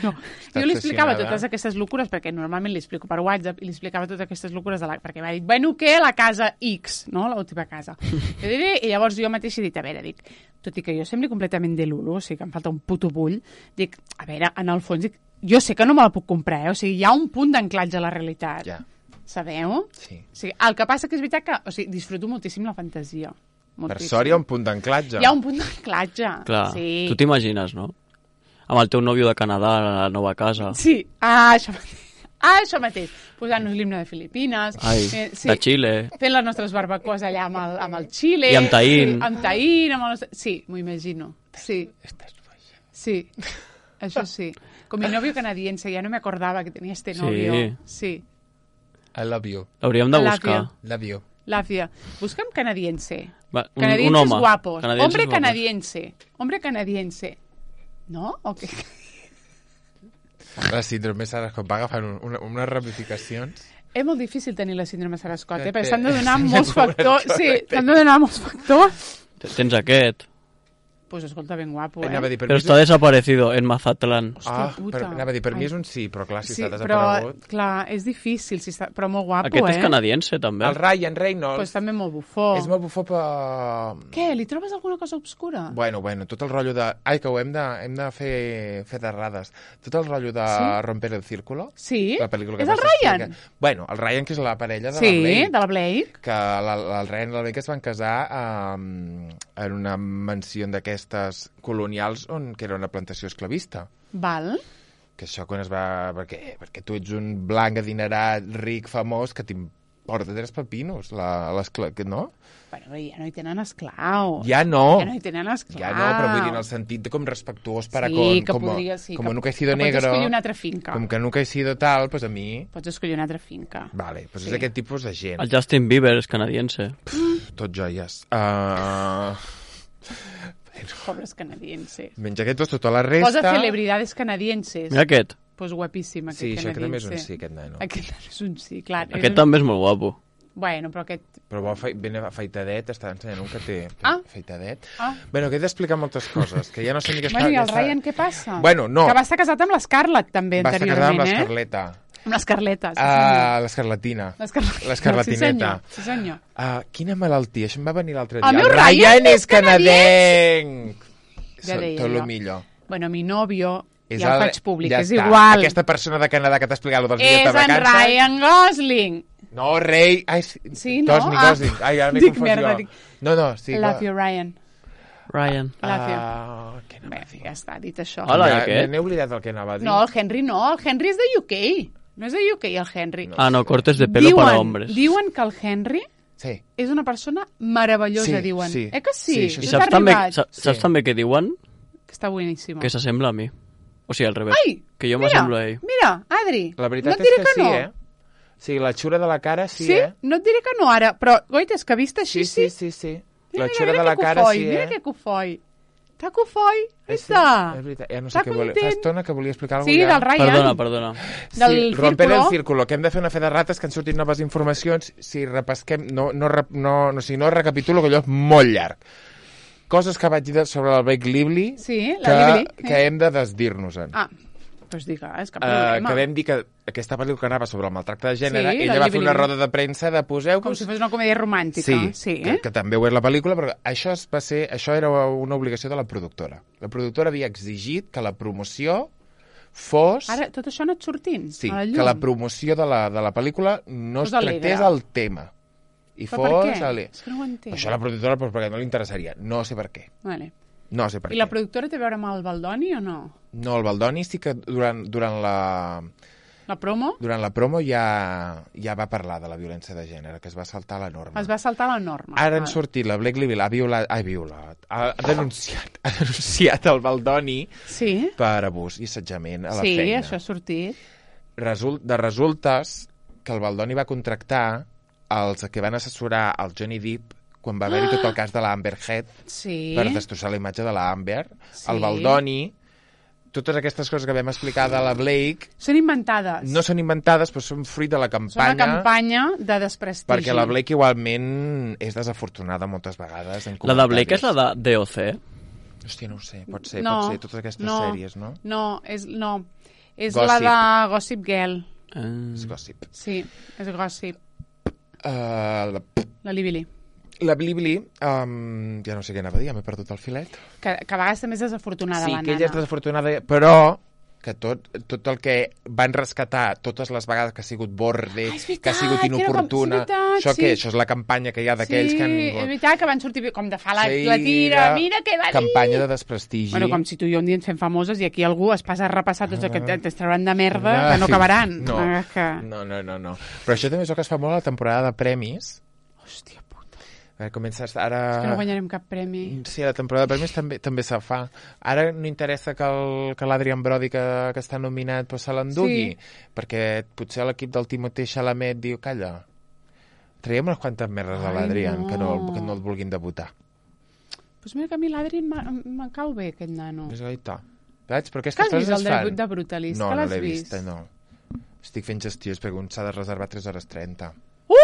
No, no. Jo li explicava obsessionada. totes aquestes locures, perquè normalment li explico per WhatsApp, i li explicava totes aquestes locures, de la... perquè m'ha dit, bueno, què? La casa X, no? L'última casa. Jo diré, i llavors jo mateix he dit, a veure, dic, tot i que jo sembli completament de l'ulo, o sigui que em falta un puto bull, dic, a veure, en el fons, dic, jo sé que no me la puc comprar, eh? O sigui, hi ha un punt d'anclatge a la realitat. Ja. Sabeu? Sí. O sigui, el que passa que és veritat que, o sigui, disfruto moltíssim la fantasia. Per Moltíssim. sort hi ha un punt d'anclatge. Hi ha un punt d'anclatge. Clar, Sí. tu t'imagines, no? Amb el teu nòvio de Canadà, a la nova casa. Sí, ah, això mateix. Ah, això mateix. Posant-nos l'himne de Filipines. Ai, eh, sí. de Xile. Fent les nostres barbacoes allà amb el, amb el Xile. I amb taïn. Sí, amb taïn, amb el nostre... Sí, m'ho imagino. Sí, Estàs boja. sí. Això sí. Con mi novio canadiense, ya no me acordaba que tenía este Sí. novio. Sí. I love you. L'hauríem de I love buscar. you. Love you. Làfia. Busca'm canadiense. Va, un, Canadienses un home. guapos. Canadienses Hombre guapos. canadiense. Hombre canadiense. No? O què? La síndrome Sarascot va agafant un, una, unes ramificacions. És molt difícil tenir la síndrome Sarascot, eh? Ja Perquè té. s'han de donar Sí, molts correcte, factors. Sí, correcte. s'han de donar molts factors. Tens aquest. Pues escolta, ben guapo, eh? Anava a dir, per Però mi és està desaparecido en Mazatlán. Hòstia Ah, puta. per, anava a dir, per mi Ai. és un sí, però clar, si Sí, està però, desaparegut... clar, és difícil, si està... però molt guapo, Aquest eh? és canadiense, també. El Ryan Reynolds Pues també molt bufó. és molt bufó, però... Què, li trobes alguna cosa obscura? Bueno, bueno, tot el rotllo de... Ai, que ho hem de, hem de fer, fer d'errades. Tot el rotllo de Sí? Romper el Círculo. Sí? La pel·lícula que És el vas Ryan? explicar. Bueno, el Ryan, que és la parella de Sí, la Blake. de la Blake. Que la, la, el Ryan i la Blake es van casar um, en una mansió d'aquestes d'aquestes colonials on, que era una plantació esclavista. Val. Que això quan es va... Perquè, perquè tu ets un blanc adinerat, ric, famós, que t'importa tres pepinos, la, l'escla... no? Bueno, ja no hi tenen esclau. Ja no. Ja no hi tenen esclau. Ja no, però vull dir en el sentit de com respectuós para sí, con... que com, podria, sí, com que, nunca he sido que negro. Pots escollir una altra finca. Com que nunca he sido tal, pues a mi... Pots escollir una altra finca. Vale, pues Sí. és aquest tipus de gent. El Justin Bieber és canadiense. Pff, tot joies. Uh... Pobres canadienses. Menja aquests, tota la resta... Posa celebridades canadienses. Mira aquest. Pues guapíssim, aquest Sí, això canadiense. que també és un sí, aquest nano. Aquest és un sí, clar. Aquest un... també és molt guapo. Bueno, però aquest... Però bo, ben afeitadet, està ensenyant un que té Ah. afeitadet. Ah. Bueno, que he d'explicar moltes coses, que ja no sé ni què està... Bueno, i ja el està- Ryan què passa? Bueno, no. Que va estar casat amb l'Scarlett, també, Va estar casada amb anteriorment, eh? l'Escarleta. Amb l'Escarleta, sí, Ah, senyor. l'escarlatina. L'Escarleta. L'escarlatineta. Sí, senyor. Sí, senyor. Ah, quina malaltia, això em va venir l'altre dia. El meu El Ryan Ryan és és canadenc! Ja Són deia tot jo. el millor. Bueno, mi novio, És ja el el- faig públic, ja és està. igual. Aquesta persona de Canadà que t'ha explicat dels És dies de en vacances... Ryan Gosling. No, rei... Ai, sí, Sí, no? Gosling, Ah. Gosling. Ai, ara m'he Dic confós merda, jo. dic- No, no, sí. Love you, Ryan. Ryan. Love you. Ah, què anava Bé, a dir? ja està, dit això. Hola, ja, i aquest? N'he oblidat el que anava a dir. No, el Henry no, el Henry és de U K. No és de U K, el Henry. Ah, no, cortes de pelo para hombres. Diuen que el Henry Sí. és una persona meravellosa, Sí, diuen. sí. Eh que sí? Sí, això I Us saps ha també, arribat? saps, saps Sí. també què diuen? Que està boníssima. Que s'assembla a mi. O sigui, al revés. Ai, que jo mira, m'assemblo a ell. Mira, Adri, La veritat no et diré és que, que, no. sí, eh? Sí, la xura de la cara sí, Sí? eh? No et diré que no ara, però, goita, és que vist així, Sí, sí, sí, sí. Mira, La mira, xura mira de la que cara cofoi, sí, mira eh? que cofoi. Està cofoi, Eh, sí, està. és veritat. Ja no sé Està què volia. Fa content. estona que volia explicar alguna Sí, cosa. del Ryan. Perdona, perdona. Del sí, romper círculo. el círculo, que hem de fer una fe de rates, que han sortit noves informacions. Si repesquem, no, no, rep- no, no, si no recapitulo, que allò és molt llarg. Coses que vaig dir sobre el Blake Lively, Sí, la que, Lively. que hem de desdir-nos-en. Ah, doncs digues, cap Uh, problema. que vam dir que aquesta pel·lícula que anava sobre el maltracte de gènere, Sí, ella la va fer Lively. una roda de premsa de poseu-vos... Com si fos una comèdia romàntica. Sí, sí que, eh? que també ho és la pel·lícula, però això, es va ser, això era una obligació de la productora. La productora havia exigit que la promoció fos... Ara, tot això ha anat sortint sí, a la llum. que la promoció de la, de la pel·lícula no Fos es tractés alegre. el tema. I Però fos... per què? Ale... És que no ho entenc. Això a la productora, doncs, perquè no li interessaria. No sé per què. Vale. No sé per I què. la productora té a veure amb el Baldoni o no? No, el Baldoni sí que durant, durant la... La promo? Durant la promo ja, ja va parlar de la violència de gènere, que es va saltar la norma. Es va saltar la norma. Ara han Vale. sortit, la Blake Lively ha violat, ha violat, ha, ha denunciat, ha denunciat el Baldoni Sí, per abús i assetjament a la sí, feina. això ha sortit. Result, de resultes que el Baldoni va contractar els que van assessorar el Johnny Depp quan va haver-hi tot el cas de l'Amber Heard Sí. per destrossar la imatge de l'Amber. Sí. El Baldoni, totes aquestes coses que vam explicar de la Blake Són inventades. no són inventades, però són fruit de la Són una campanya, campanya de desprestigi. perquè la Blake igualment és desafortunada moltes vegades en La de Blake és comentaris. la de D O C. Hòstia, no ho sé, pot ser, no, pot ser, totes aquestes no, sèries, no? No, és, no. és Gossip. la de Gossip Girl. Eh, És gossip. Sí, és Gossip. Uh, la, La Lively. la Blibli, um, ja no sé què anava a dir, ja m'he perdut el filet. Que, que a vegades també és desafortunada Sí, la que nana. ella és desafortunada, però que tot, tot el que van rescatar totes les vegades que ha sigut borde, Ah, és veritat, que ha sigut que era com- inoportuna, és veritat, això sí. què? Això és la campanya que hi ha d'aquells sí, que han... és veritat que van sortir com de fa la, Sí, la tira, era mira què va dir. campanya de desprestigi. Bueno, com si tu i jo un dia ens fem famoses i aquí algú es passa a repassar tots els que Ah. ens trauran de merda que no acabaran. No, Ah, que... no, no, no, no. Però això també és el que es fa molt a la temporada de premis. Hòstia puta. A veure, comença ara... És que no guanyarem cap premi. Sí, a la temporada de premis també també se fa. Ara no interessa que el- que l'Adrian Brody, que, que està nominat, pues, se l'endugui, Sí. perquè potser l'equip del Timothée Chalamet diu, calla, traiem unes quantes merdes a Ai, l'Adrian, no. que, no, que no el vulguin debutar. Pues mira que a mi l'Adri em em cau bé, aquest nano. És gaita. Veig? Però Que aquestes has vist coses el es fan. debut de Brutalist? No, que no l'has l'he vist? vist, no. Estic fent gestions perquè un s'ha de reservar tres hores trenta. Uh!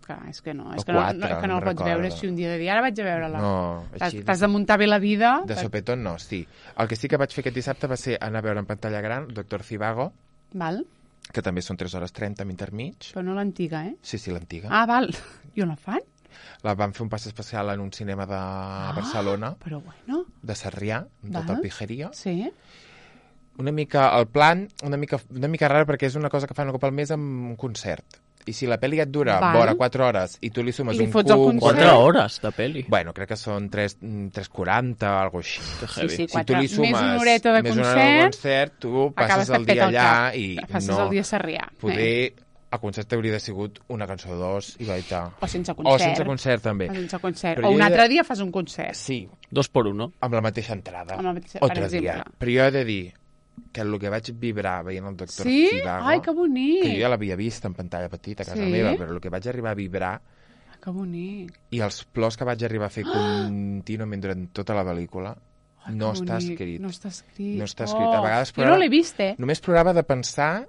Clar, és que no, és O que no, quatre, no, és que no no el pots recordo. veure així un dia de dir, ara vaig a veure-la. No, T'has així... t'has de muntar bé la vida. De sopetón no, sí. El que sí que vaig fer aquest dissabte va ser anar a veure en pantalla gran Doctor Zivago, Val? que també són tres hores trenta a intermig. Però no l'antiga, eh? Sí, sí, l'antiga. Ah, val. I on la fan? La van fer un pas especial en un cinema de Barcelona, Però bueno, de Sarrià, amb tot Val. el pijeria. sí. Una mica, el plan, una mica, una mica rara perquè és una cosa que fan un cop al mes amb un concert. I si la pel·li et dura Val. vora quatre hores i tu li sumes I li un fots el cub... concert. Quatre hores de pel·li. Bueno, crec que són tres quaranta o alguna cosa així. Que Sí, heavy. sí, Si tu quatre. li sumes Més una horeta de més una hora de concert, concert, tu acabes passes que el et peta dia el allà cap. i Passes no... el dia a Sarrià. Poder Eh. el concert hauria de sigut una cançó o dos i baita. O sense concert. O sense concert, també. O sense concert. Però O jo un he de- altre dia fas un concert. Sí, Dos por uno. amb la mateixa entrada. Amb la mateixa- o per tres exemple. dia. Però jo he de dir que el que vaig vibrar veient el Doctor Sí? Zhivago, Ai, que bonic. que jo ja l'havia vist en pantalla petita a casa Sí? meva, però el que vaig arribar a vibrar Ah, que bonic. i els plors que vaig arribar a fer contínuament durant tota la pel·lícula Ai, no que està bonic. escrit. No està escrit. No està escrit. A vegades Jo no plorava- l'he vist, eh? Només plorava de pensar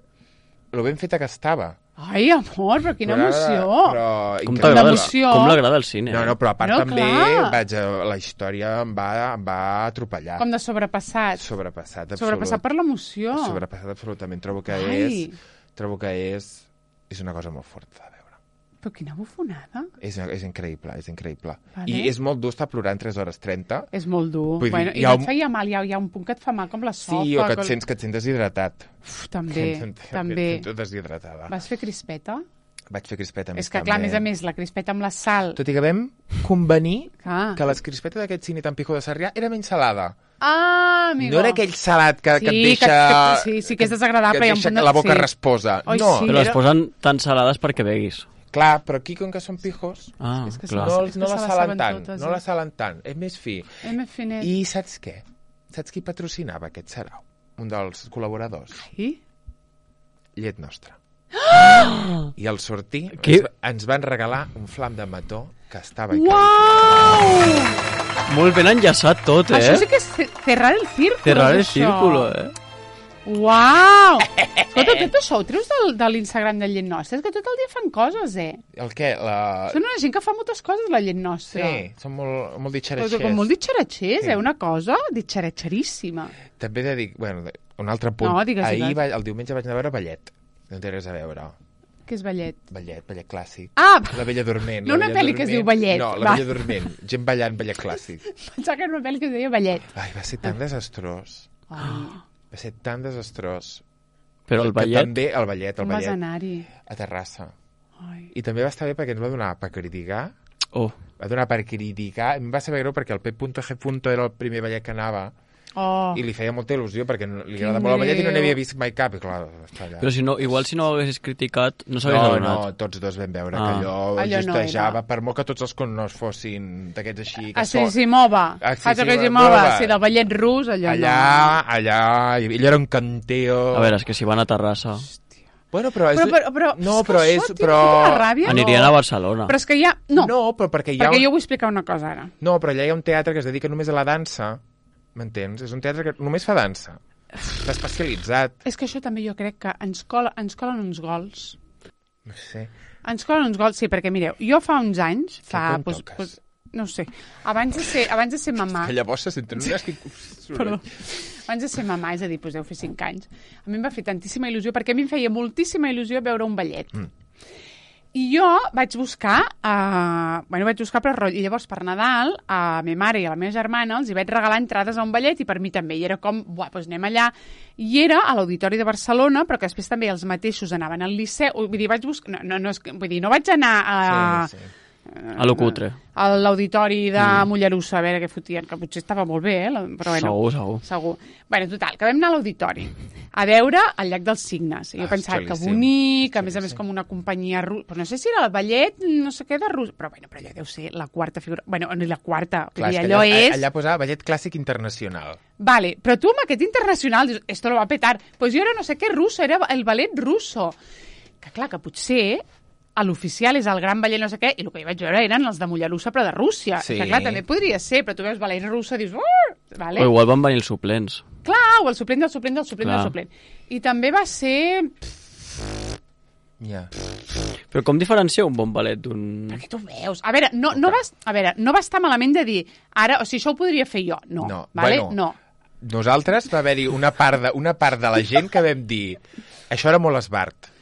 lo ben feta que estava. Ai, amor, però quina Plorava de- emoció. Però Com increïble. t'agrada el, L'emoció. com l'agrada el cine. No, eh? no, però a part No, també clar. vaig a, la història em va, em va atropellar. Com de sobrepassat. Sobrepassat, absolut. Sobrepassat per l'emoció. Sobrepassat absolutament. Trobo que Ai. és... Trobo que és... És una cosa molt forta de veure. Però quina bufonada. És, és increïble, és increïble. Vale. I és molt dur estar plorant tres hores trenta. És molt dur. Vull dir, Bueno, hi I ha no et un- feia mal, hi ha, hi ha un punt que et fa mal com la sofa. Sí, o que et com- sents, que et sents deshidratat. Uf, també, Que et també. sents deshidratada. Vas fer crispeta? Vaig fer crispeta més És que, clar, a també. més a més, la crispeta amb la sal... Tot i que vam convenir Ah, que les crispetes d'aquest cine tan pijo de Sarrià era menys salada. ah amigo. No era aquell salat que, que et Sí, deixa... que- que- sí, sí que és desagradable, Que hi ha et un deixa punt de- la boca sí. rasposa. Oi, no, sí. Però les era- posen tan salades perquè beguis. clar, però aquí, com que són pijos, Ah, És que clar. són- no, és que no se la la salen saben tant. totes, no eh? la salen tant. És més fi. M. Finet. I saps què? Saps qui patrocinava aquest sarau? Un dels col·laboradors. I? Llet Nostra. I al sortir Qui? ens, ens van regalar un flam de mató que estava Uau! Molt ben enllaçat tot, eh? Això sí que és ce- cerrar el círculo. Cerrar el és això. círculo, eh? Uau! Escolta, tot això ho treus del, de l'Instagram de Llet Nostra? És que tot el dia fan coses, eh? El què? La... Són una gent que fa moltes coses, la Llet Nostra. Sí, són molt, molt Però ditxeratxers. com molt ditxeratxers, Sí. eh? Una cosa ditxeratxeríssima. També he de dir, bueno, un altre punt. No, digues, Ahir, digues. va, el diumenge vaig anar a veure Ballet. No té res a veure. Què és ballet? Ballet, ballet clàssic. Ah, La Bella Dorment. No la una Bella pel·li que es Dorment. diu Ballet, No, la va. Bella Dorment. Gent ballant ballet clàssic. pensava que era una pel·li que es deia ballet. Ai, va ser tan desastrós. Ai, Va ser tan desastrós. Però el Que ballet... també el ballet, el com vas ballet. anar-hi? A Terrassa. Ai. I també va estar bé perquè ens va donar per criticar. Oh, Va donar per criticar. Em va saber greu perquè el P G era el primer ballet que anava Oh, i li feia molta il·lusió perquè no- li Quin agrada molt el ballet i no greu. n'havia vist mai cap. I clar, està allà. però si no, igual si no ho haguessis criticat, no s'hagués No, adonat. no, tots dos vam veure Ah. que allò, Allò no justejava, era. per molt que tots els connos fossin d'aquests així, que Así so- si mova. Así Fas si que si mova. mova. Sí, del ballet rus, allò allà, allà, ell era un canteo. A veure, és que si van a Terrassa... Bueno, però és... Però, però, però, no, és que però això, és... tio, Però... quina ràbia. Anirien a Barcelona. Però és que hi ha... No, No, però perquè hi ha... perquè un... jo vull explicar una cosa ara. No, però allà hi ha un teatre que es dedica només a la dansa, m'entens? És un teatre que només fa dansa. Està especialitzat. És que això també jo crec que ens, cola, ens colen uns gols. No sé. Ens colen uns gols, sí, perquè mireu, jo fa uns anys, fa... quan Pues, toques? pues, no ho sé, abans de ser, abans de ser mamà... Que llavors se senten unes... Perdó. Abans de ser mamà, és a dir, doncs deu fer cinc anys, a mi em va fer tantíssima il·lusió, perquè a mi em feia moltíssima il·lusió veure un ballet. Mm. I jo vaig buscar, uh, bueno, vaig buscar per rotllo, i llavors per Nadal a ma mare i a la meva germana els hi vaig regalar entrades a un ballet i per mi també, i era com, buah, doncs anem allà, i era a l'Auditori de Barcelona, però que després també els mateixos anaven al Liceu, vull dir, vaig buscar, no, no, no, és que- vull dir, no vaig anar a... Sí, sí. A lo cutre. a l'auditori de mm. Mollerussa, a veure què fotien, que potser estava molt bé, eh? la- però bueno, Segur, segur. segur. Bueno, total, que vam anar a l'auditori a veure el Llac dels Signes. I jo Ah, pensava que xulíssim. bonic, a més a més Xulíssim. com una companyia russa, però no sé si era el ballet, no sé què de rus, però bueno, però allò deu ser la quarta figura, bueno, ni la quarta, Clar, vull és dir, que allò allà, és... allà posava ballet clàssic internacional. Vale, però tu amb aquest internacional dius, esto lo va a petar. Pues jo era no sé què russo, era el ballet russo. Que clar, que potser a l'oficial és el gran ballet no sé què, i el que jo vaig veure eren els de Mollerussa, però de Rússia. Sí. Que clar, també podria ser, però tu veus ballet russa i dius... Uh! Vale? O igual van venir els suplents. Clar, o el suplent del suplent del suplent Clar. del suplent. I també va ser... Ja. Però com diferencia un bon ballet d'un... Perquè tu veus... A veure, no, no, va, a veure, no va estar malament de dir ara, o sigui, això ho podria fer jo. No, No, vale? bueno. No. Nosaltres va haver-hi una part, de, una part de la gent que vam dir això era molt esbart.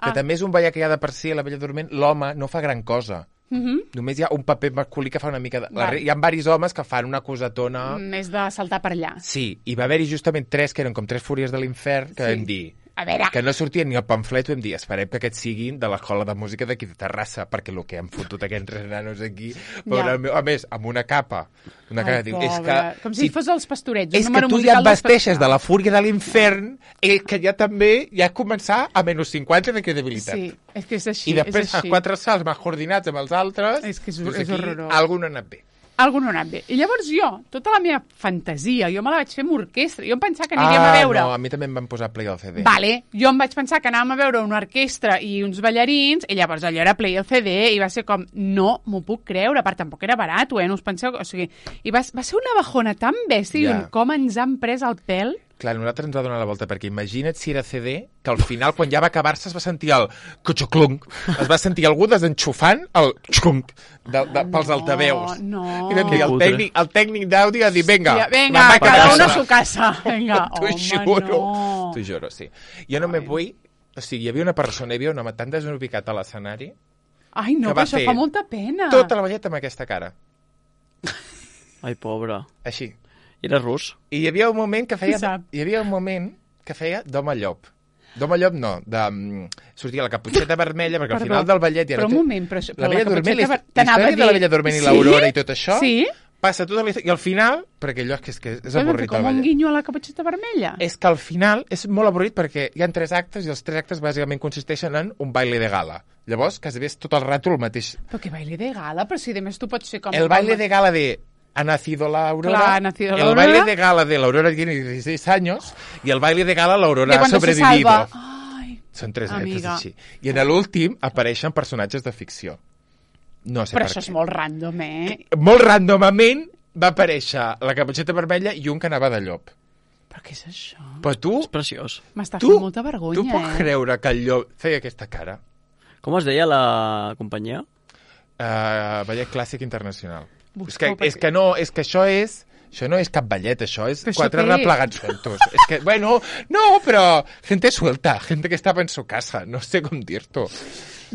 Que Ah. també és un ballet que hi ha de per si, a la Bella Dorment, l'home no fa gran cosa. Uh -huh. Només hi ha un paper masculí que fa una mica... De... La... Val. Hi ha diversos homes que fan una cosetona... Més de saltar per allà. Sí, i va haver-hi justament tres que eren com tres fúries de l'infern que Sí. vam dir A veure... Que no sortia ni el pamflet, vam dir, esperem que aquests siguin de l'escola de música d'aquí de Terrassa, perquè el que han fotut aquests tres nanos aquí, però Ja. meu, a més, amb una capa, una Ai, cara, diu, és que... com si fos els pastorets. És que tu ja et vesteixes de la fúria de l'infern, i que ja també ja començar a menys cinquanta de credibilitat. Sí, és que és així. I després, és a així. quatre salts més coordinats amb els altres, És que és- dius, és aquí horrorós. algú no ha anat bé. Algú no ha anat bé. I llavors jo, tota la meva fantasia, jo me la vaig fer amb orquestra. Jo em pensava que aniríem ah, a veure... no, a mi també em van posar play al C D. Vale, jo em vaig pensar que anàvem a veure una orquestra i uns ballarins, i llavors allò era play el C D, i va ser com, no m'ho puc creure, per tampoc era barat, eh? No us penseu... O sigui, i va, va ser una bajona tan bèstia, Ja. yeah. com ens han pres el pèl. Clar, nosaltres ens va donar la volta, perquè imagina't si era C D, que al final, quan ja va acabar-se, es va sentir el cuxuclunk, es va sentir algú desenxufant el xclunk de, de, pels No, altaveus. no. I vam dir, el cutre. tècnic, el tècnic d'àudio a dir, vinga, Ja, venga, me'n vaig a cada casa. uno a su casa. Venga, T'ho home, juro, no. t'ho juro, sí. Jo no me vull... O sigui, hi havia una persona, hi havia un home tan desubicat a l'escenari, Ai, no, que va però això fer fa molta pena. tota la balleta amb aquesta cara. Ai, pobre. Així. I era rus? I hi havia un moment que feia... Qui sap? Hi havia un moment que feia d'home llop. D'home llop no, de... mm, sortia la caputxeta vermella, perquè al Perdó, final del ballet... però no un té- moment, però això- La però la Bella Dorment, caputxeta la, ver- t'anava història a de la dir- Bella Dorment i Sí? l'Aurora i tot això, Sí? passa tota la història... I al final, perquè allò és que és, que és Però avorrit com el un ballet. guinyo a la caputxeta vermella. És que al final és molt avorrit perquè hi ha tres actes i els tres actes bàsicament consisteixen en un baile de gala. Llavors, quasi bé és tot el rato el mateix. Però que baile de gala, però si de més tu pots ser com... El baile de gala de ha nacido la Aurora, Clar, ha nacido la el Aurora. baile de gala de la Aurora tiene dieciséis años y el baile de gala la Aurora de ha cuando se sobrevivido. salva. Ai, Són tres metres amiga. així. I en l'últim apareixen personatges de ficció. No sé però per això què. és molt random, eh? Molt randomament va aparèixer la caputxeta vermella i un que anava de llop. Però què és això? Però tu, És preciós. M'està tu, fent molta vergonya, tu pots eh? creure que el llop feia aquesta cara? Com es deia la companyia? Uh, ballet clàssic internacional. Busco, és, que, perquè- és que no, és que això és... Això no és cap ballet, això és Però això quatre què replegats sueltos. És que, bueno, no, però gente suelta, gente que estava en su casa, no sé com dir-t'ho.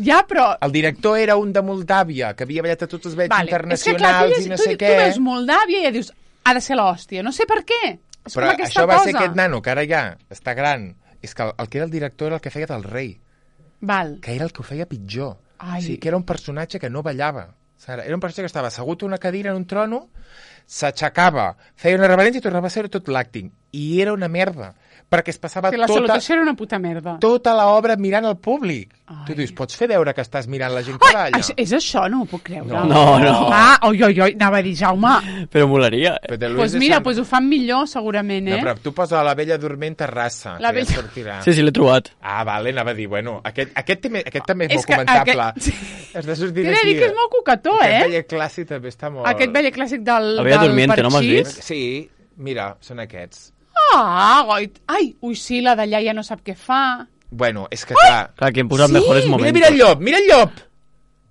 Ja, però... El director era un de Moldàvia, que havia ballat a tots els ballets Vale. internacionals és que, clar, tu, i no tu, sé tu què. veus Moldàvia i ja dius, ha de ser l'hòstia. No sé per què. És Però com aquesta això va cosa. ser aquest nano, que ara ja està gran. És que el, el que era el director era el que feia del rei, Val. que era el que ho feia pitjor. Ai. O sigui, que era un personatge que no ballava. Sara, era un personatge que estava assegut a una cadira en un trono, s'aixecava, feia una reverència i tornava a ser tot l'acting. I era una merda, perquè es passava Que la tota, salutació era una puta merda. tota l'obra mirant al públic. Ai. Tu dius, pots fer veure que estàs mirant la gent que Ai, balla? això, és això? No m'ho puc creure. No. No, no. Ah, oi, oi, oi, anava a dir, Jaume. Però molaria. Però de Doncs Luis pues de mira, Sant- pues ho fan millor, segurament, eh? No, però tu posa la Bella Dorment Terrassa, La que Bella- ja sortirà. Sí, sí, l'he trobat. Ah, vale, anava a dir, bueno, aquest, aquest, també, aquest també és, És molt que comentable. aquest- Has de sortir T'he de d'aquí. dir que és molt cucató, Aquest eh? ballet clàssic també està molt... Aquest ballet clàssic del, La Bella del Dormiente, no m'has Parxís. dit? Sí, mira, són aquests. Ah, goit. Ai, ui, sí, la d'allà ja no sap què fa. Bueno, és que clar... Clar, que hem posat Sí? mejores Mira, momentos. mira el llop, mira el llop!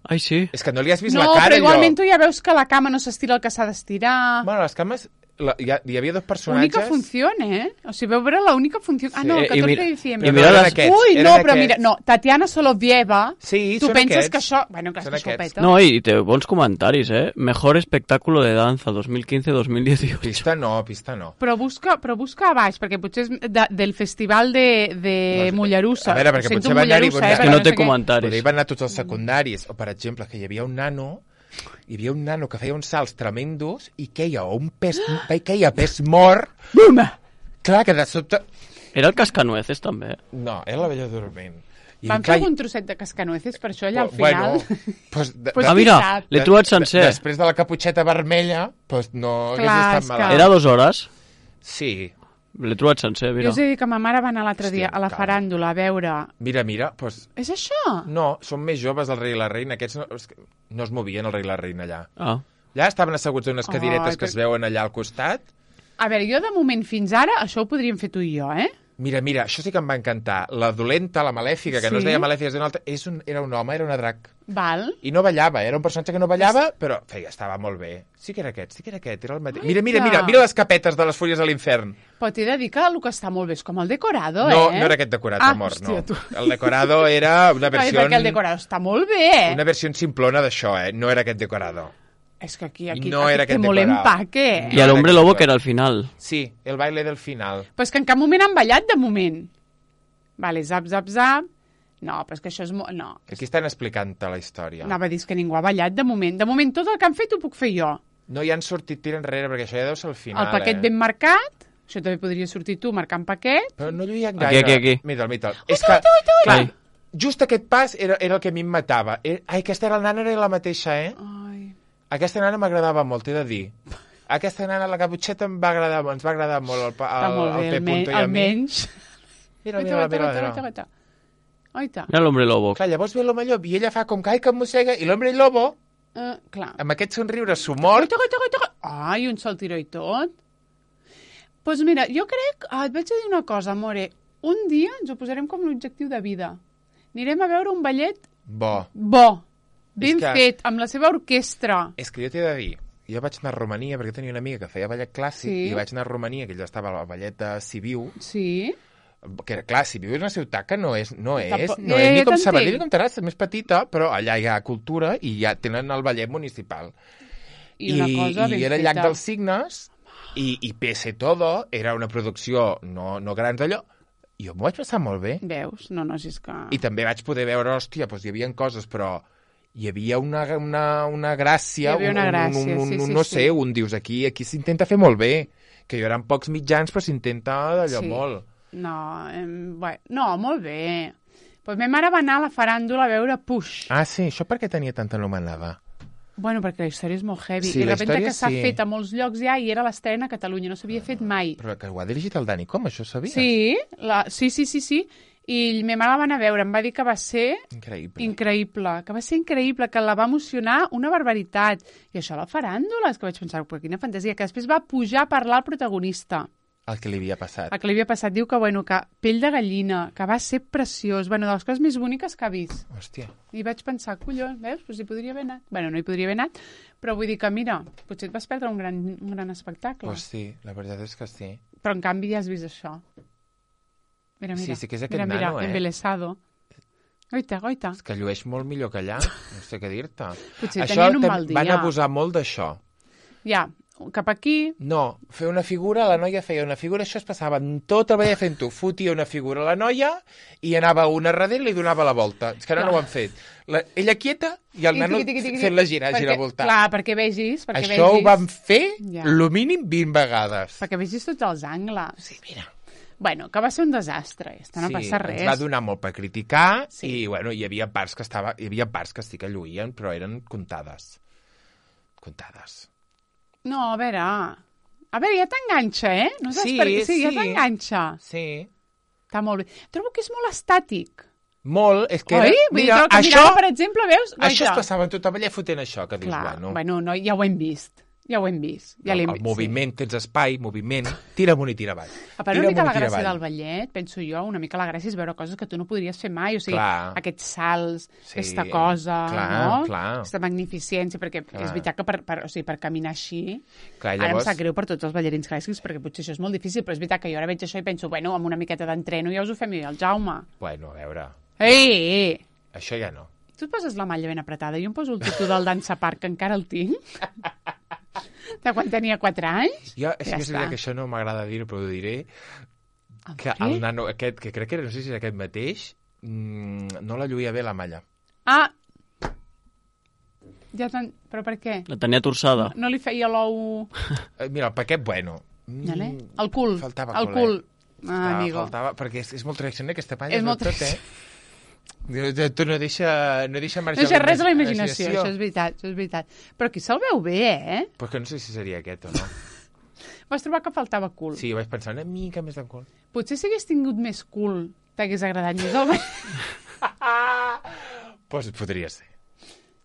Ai, sí. És que no li has vist No, la cara, però al igualment llop. tu ja veus que la cama no s'estira el que s'ha d'estirar. Bueno, les cames... La, hi, ha, hi havia dos personatges... Única funció, eh? O sigui, veu veure la única funció... Ah, Sí. no, el Eh, i catorze mira- de i diciembre. mira eren les- aquests, Ui, eren no, però aquests. mira, no, Tatiana Solovieva, Sí, tu són penses aquests. que això... Bueno, clar, és Són que això ho aquests. peta. No, i té bons comentaris, eh? Mejor espectáculo de danza dos mil quince dos mil dieciocho. Pista no, pista no. Però busca, però busca a baix, perquè potser és de, del festival de, de Mollerussa. A veure, perquè Ho sento, potser va anar-hi- Mollerussa, És eh, que perquè no té sé què. comentaris. Potser hi van anar tots els secundaris. O, per exemple, que hi havia un nano hi havia un nano que feia uns salts tremendos i queia un pes, queia pes mort. Bum! Clar, que de sobte... Era el Cascanueces, també. No, era la Bella Dorment. I Van clar, fer algun trosset de cascanueces per això allà al bueno, final. pues, de, Pues de, Ah, mira, sap? l'he trobat sencer. Després de la caputxeta vermella, pues no Clar, hagués és estat que- malalt. Era dues hores. Sí. L'he trobat sencer, Jo mira. us he dit que ma mare va anar l'altre dia Hòstia, a la calma. faràndula a veure... Mira, mira, pues, És això? no, són més joves el rei i la reina. Aquests no, és que no es movien el rei i la reina allà. Ah. Allà estaven asseguts en unes cadiretes Ai, que es per- veuen allà al costat. A veure, jo de moment fins ara això ho podríem fer tu i jo, eh? Mira, mira, això sí que em va encantar. La dolenta, la malèfica, que no es Sí? deia malèfica, es deia una altra, és un, era un home, era una drac. Val. I no ballava, era un personatge que no ballava, però feia, estava molt bé. Sí que era aquest, sí que era aquest, era el mateix. Ai, Mira, mira, que- mira, mira les capetes de les fulles de l'infern. Però t'he de dir que el que està molt bé és com el decorado, No, eh? no era aquest decorat, ah, amor, hòstia, no. Tu. El decorado era una Ai, versió... perquè el decorado està molt bé, eh? Una versió simplona d'això, eh? No era aquest decorado. És que aquí, aquí, No aquí era té aquest molt decorado. empaque. I a l'Hombre era Lobo, aquest que era al final. Sí, el baile del final. Però és que en cap moment han ballat, de moment. Vale, zap, zap, zap. No, però és que això és... Mo... No. Aquí estan explicant-te la història. Anava a dir que ningú ha ballat, de moment. De moment, tot el que han fet ho puc fer jo. No hi han sortit tir enrere, perquè això ja deu ser el final, El paquet eh? ben marcat, això també podria sortir tu marcant paquet. Però no lluïen Aquí, gaire. aquí, aquí. Mira'l, mira'l. És que, clar, just aquest pas era, era el que a mi em matava. Era, ai, aquesta era la nana, era la mateixa, eh? Ai. Aquesta nana m'agradava molt, t'he de dir. Aquesta nana, la caputxeta, em va agradar, ens va agradar molt el, el, Està molt bé, el P. Punto i a mi. almenys. Mira, mira, mira, mira. Oita, oita. Mira l'hombre lobo. Clar, llavors ve l'home llop i ella fa com que ai, que em mossega, i l'hombre lobo, Uh, clar. amb aquest somriure sumort, Oita, oita, oita. Ai, un sol tiró i tot. Doncs pues mira, jo crec... Ah, et vaig a dir una cosa, amore. Un dia ens ho posarem com l'objectiu de vida. Anirem a veure un ballet bo. bo, ben que- fet, amb la seva orquestra. És que jo t'he de dir, jo vaig anar a Romania perquè tenia una amiga que feia ballet clàssic Sí. i vaig anar a Romania, que ella estava al ballet de Sibiu, Sí. que era, clar, Sibiu és una ciutat que no és, no és, Tampoc- no Eh, és ni jo com t'entenc. Sabadell ni com Terrassa, és més petita, però allà hi ha cultura i ja tenen el ballet municipal. I una cosa ben i era el feta. Llac dels Signes i, i pese todo, era una producció no, no grans d'allò, i jo m'ho vaig passar molt bé. Veus? No, no, si és que... I també vaig poder veure, hòstia, doncs hi havia coses, però hi havia una, una, una gràcia, Hi havia una un, gràcia, un, un, sí, un, sí, no sí. sé, un dius aquí, aquí s'intenta fer molt bé, que hi haurà pocs mitjans, però s'intenta d'allò Sí. molt. No, em, bé, no, molt bé. Pues ma mare va anar a la faràndula a veure Push. Ah, sí, això per què tenia tanta anomenada? Bueno, perquè la història és molt heavy. Sí, I de la repente història que s'ha sí. fet a molts llocs ja i era l'estrena a Catalunya, no s'havia fet mai. Però que ho ha dirigit el Dani, com? Això ho sabies? Sí, la, sí, sí, sí, sí. I ma mare la va anar a veure, em va dir que va ser Increïble. increïble, que va ser increïble, que la va emocionar una barbaritat. I això, la faràndula, és que vaig pensar, però quina fantasia, que després va pujar a parlar al protagonista. El que li havia passat. El que li havia passat diu que, bueno, que pell de gallina, que va ser preciós, bueno, de les coses més boniques que ha vist. Hòstia. I vaig pensar, collons, veus, doncs hi podria haver anat. Bueno, no hi podria haver anat, però vull dir que, mira, potser et vas perdre un gran, un gran espectacle. Pues sí, la veritat és que sí. Però en canvi ja has vist això. Mira, mira. Sí, sí que és aquest mira, mira, nano, eh? embelesado. Oita, oita. És que llueix molt millor que allà, no sé què dir-te. Potser Això tenien un tam- mal dia. van abusar molt d'això. Ja, cap aquí... No, fer una figura, la noia feia una figura, això es passava en tot el ballet fent-ho. Fotia una figura a la noia i anava una darrere i li donava la volta. És que ara Clar. no ho han fet. La, ella quieta i el I nano tiqui, tiqui, tiqui, fent la gira, perquè, gira voltar. Clar, perquè vegis, perquè Això vegis... ho vam fer Ja. lo mínim vint vegades. Perquè vegis tots els angles. Sí, mira. Bueno, que va ser un desastre, esto no sí, passa res. ens va donar molt per criticar Sí. i, bueno, hi havia parts que estava, hi havia parts que sí que lluïen, però eren comptades. Comptades. No, a veure... A veure, ja t'enganxa, eh? No saps Sí, per què? Sí, ja sí. t'enganxa. Sí. Està molt bé. Trobo que és molt estàtic. Molt, és que... Oi? Era, Vull dir, mira, trobo que això, mirava, per exemple, veus? això es Guaita. passava en tot el ballet fotent això, que dius, Clar, bueno... bueno, no, ja ho hem vist. Ja ho hem vist. Ja el, l'hem el vist, moviment, tens espai, moviment, tira amunt i tira avall. A part, Tira una mica amunt la i tira gràcia avall. del ballet, penso jo, una mica la gràcia és veure coses que tu no podries fer mai, o sigui, Clar. aquests salts, Sí, aquesta cosa, clar, no? clar. Aquesta magnificència, perquè Clar. és veritat que per, per, o sigui, per caminar així... Clar, Ara em llavors, sap greu per tots els ballarins clàssics, perquè potser això és molt difícil, però és veritat que jo ara veig això i penso, bueno, amb una miqueta d'entreno ja us ho fem jo, el Jaume. bueno, a veure, Ei, ei, això ja no. tu et poses la malla ben apretada, jo em poso el tutú del Dansa Park, que encara el tinc, de quan tenia quatre anys. Jo, és Ja que és està. veritat que això no m'agrada dir-ho, però ho diré, que Què? el nano aquest, que crec que era, no sé si era aquest mateix, mmm, no la lluïa bé la malla. Ah, ja tan... Però per què? La tenia torçada. No li feia l'ou... Eh, mira, el paquet, bueno. Mm, Vale? El cul. Faltava el cul, cul. eh? Ah, amigo. Faltava, perquè és, és molt tradicional aquesta palla, És molt tot, eh? Diu, tu no deixa, no deixa No marxar deixa res a la imaginació, això és veritat, això és veritat. Però aquí se'l veu bé, eh? Però que no sé si seria aquest o no. Vas trobar que faltava cul. Sí, vaig pensar una mica més de cul. Potser si hagués tingut més cul, t'hagués agradat més el ball. Pues podria ser.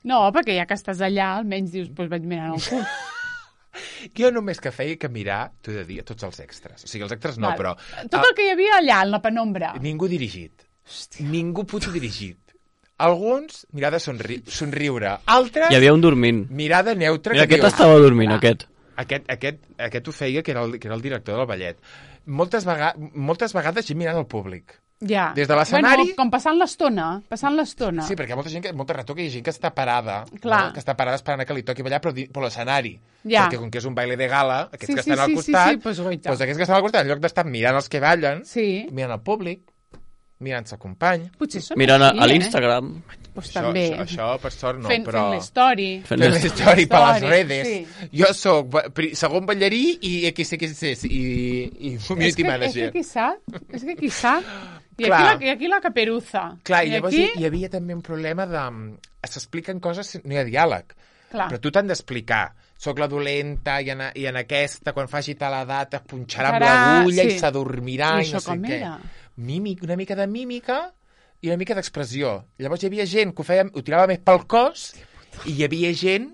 No, perquè ja que estàs allà, almenys dius, doncs vaig mirant el cul. Jo només que feia que mirar, t'ho he de dir, a tots els extras. O sigui, els extras no, Val. però... Tot el que hi havia allà, en la penombra. Ningú dirigit. Hòstia. Ningú puto dirigit. Alguns, mirada somri somriure. Altres, Hi havia un dormint. mirada neutra. Mira, que aquest dius, estava dormint, aquest. Aquest, aquest, aquest ho feia, que era, el, que era el director del ballet. Moltes, vega moltes vegades gent mirant el públic. Ja. Des de l'escenari- Bueno, com passant l'estona, passant l'estona. Sí, perquè hi ha molta gent, que, molta rato que hi ha gent que està parada, Clar. no? que està parada esperant que li toqui ballar, però di- per l'escenari. Ja. Perquè com que és un baile de gala, aquests Sí, que sí, estan al sí, sí, costat, sí, pues, guaita. doncs aquests que estan al costat, en lloc d'estar mirant els que ballen, Sí. mirant el públic, mirant el company. Potser són Mirant així, a eh? l'Instagram. Pues Això, també. això, això, per sort, no, fent, però... Fent l'story. Fent Fent l'story per les Story, redes. sí. Jo sóc ba- pri- segon ballarí i aquí sé que és i, i community és que, manager. És que qui sap? És que qui sap? I Clar. aquí, la, I aquí la caperuza. Clar, i llavors aquí... hi, hi havia també un problema de... S'expliquen coses, no hi ha diàleg. Clar. Però tu t'han d'explicar. Soc la dolenta i en, i en aquesta, quan faci tal edat, es punxarà amb Serà- l'agulla sí. i s'adormirà I i, això no sé com què. era? Mímic, una mica de mímica i una mica d'expressió. Llavors hi havia gent que ho, feia, ho tirava més pel cos i hi havia gent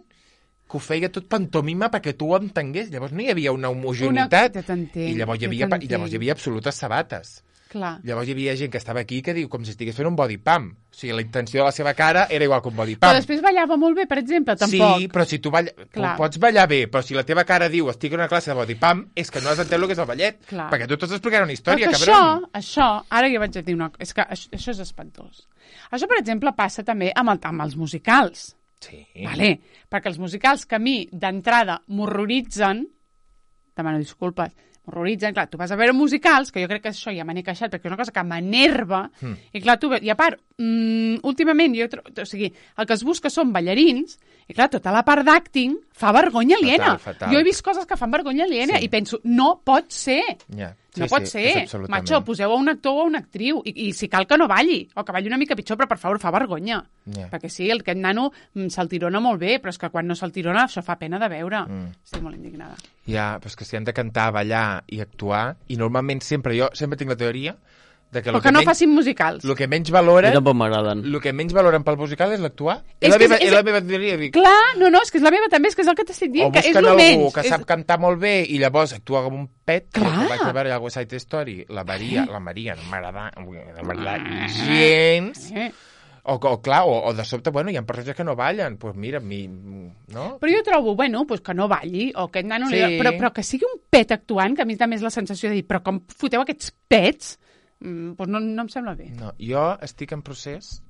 que ho feia tot pantomima perquè tu ho entengués. Llavors no hi havia una homogeneïtat. Una... Ja t'entenc, I llavors hi, ja havia, t'entenc. i llavors hi havia absolutes sabates. Clar. Llavors hi havia gent que estava aquí que diu com si estigués fent un body pump. O sigui, la intenció de la seva cara era igual que un body Però pump. després ballava molt bé, per exemple, tampoc. Sí, però si tu, balla... tu Clar. pots ballar bé, però si la teva cara diu estic en una classe de body pump, és que no has entès el que és el ballet. Clar. Perquè tu t'has d'explicar una Però història, que cabron. això, això, ara jo vaig a dir una cosa, és que això, això és espantós. Això, per exemple, passa també amb, el, amb els musicals. Sí. Vale? Perquè els musicals que a mi, d'entrada, m'horroritzen, demano disculpes, m'horroritzen, clar, tu vas a veure musicals, que jo crec que això ja me n'he queixat, perquè és una cosa que m'enerva, mm. i clar, tu, i a part, mm, últimament, jo, tro- o sigui, el que es busca són ballarins, i clar, tota la part d'acting fa vergonya aliena. Fatal, fatal. Jo he vist coses que fan vergonya aliena Sí. i penso, no pot ser. Ja. No Sí, pot sí, ser. és absolutament. Macho, poseu a un actor o a una actriu. I, I si cal que no balli, o que balli una mica pitjor, però per favor, fa vergonya. Ja. Perquè sí, el aquest nano mm, se'l tirona molt bé, però és que quan no se'l tirona això fa pena de veure. Mm. Estic molt indignada. Ja, però és que si han de cantar, ballar i actuar, i normalment sempre, jo sempre tinc la teoria de que, Però el que que, no menys, facin musicals. el que menys A mi valoren, tampoc m'agraden. el que menys valoren pel musical és l'actuar. És És, la que meva, és- és, és- la meva teoria. Dic, Clar, no, no, és que és la meva també, és que és el que t'estic o dient, que és busquen el algú menys. que és... sap cantar molt bé i llavors actua com un pet. Clar. Jo vaig a veure a West Side Story, la Maria, la Maria no m'agrada, no m'agrada gens. Eh. O, o clar, o, o de sobte, bueno, hi ha persones que no ballen, doncs pues mira, mi, no? Però jo trobo, bueno, pues que no balli, o aquest nano... Sí. Li... Però, però que sigui un pet actuant, que a mi també és la sensació de dir, però com foteu aquests pets? Mm, pues no, no em sembla bé. No, jo estic en procés,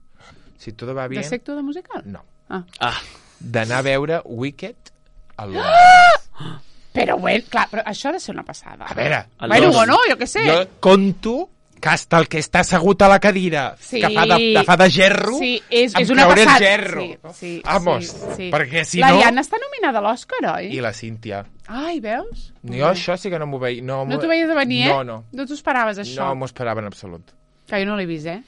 si tot va bé... De sector de musical? No. Ah. Ah, D'anar a veure Wicked a Londres. Però, bueno, clar, però això ha de ser una passada. A veure, El Bueno, dos. bueno, jo què sé. jo conto que hasta el que està assegut a la cadira, Sí. que fa de, de, fa de gerro, Sí, és, em és una creuré passada. el gerro. Sí, sí, Vamos, sí, sí. perquè si L'Ariadna no... està nominada a l'Òscar, oi? I la Cíntia. Ai, veus? Jo això sí que no m'ho veia. No, No m'ho- t'ho veies a venir, eh? No, no. No t'ho esperaves, això? No m'ho esperava en absolut. Que jo no l'he vist, eh?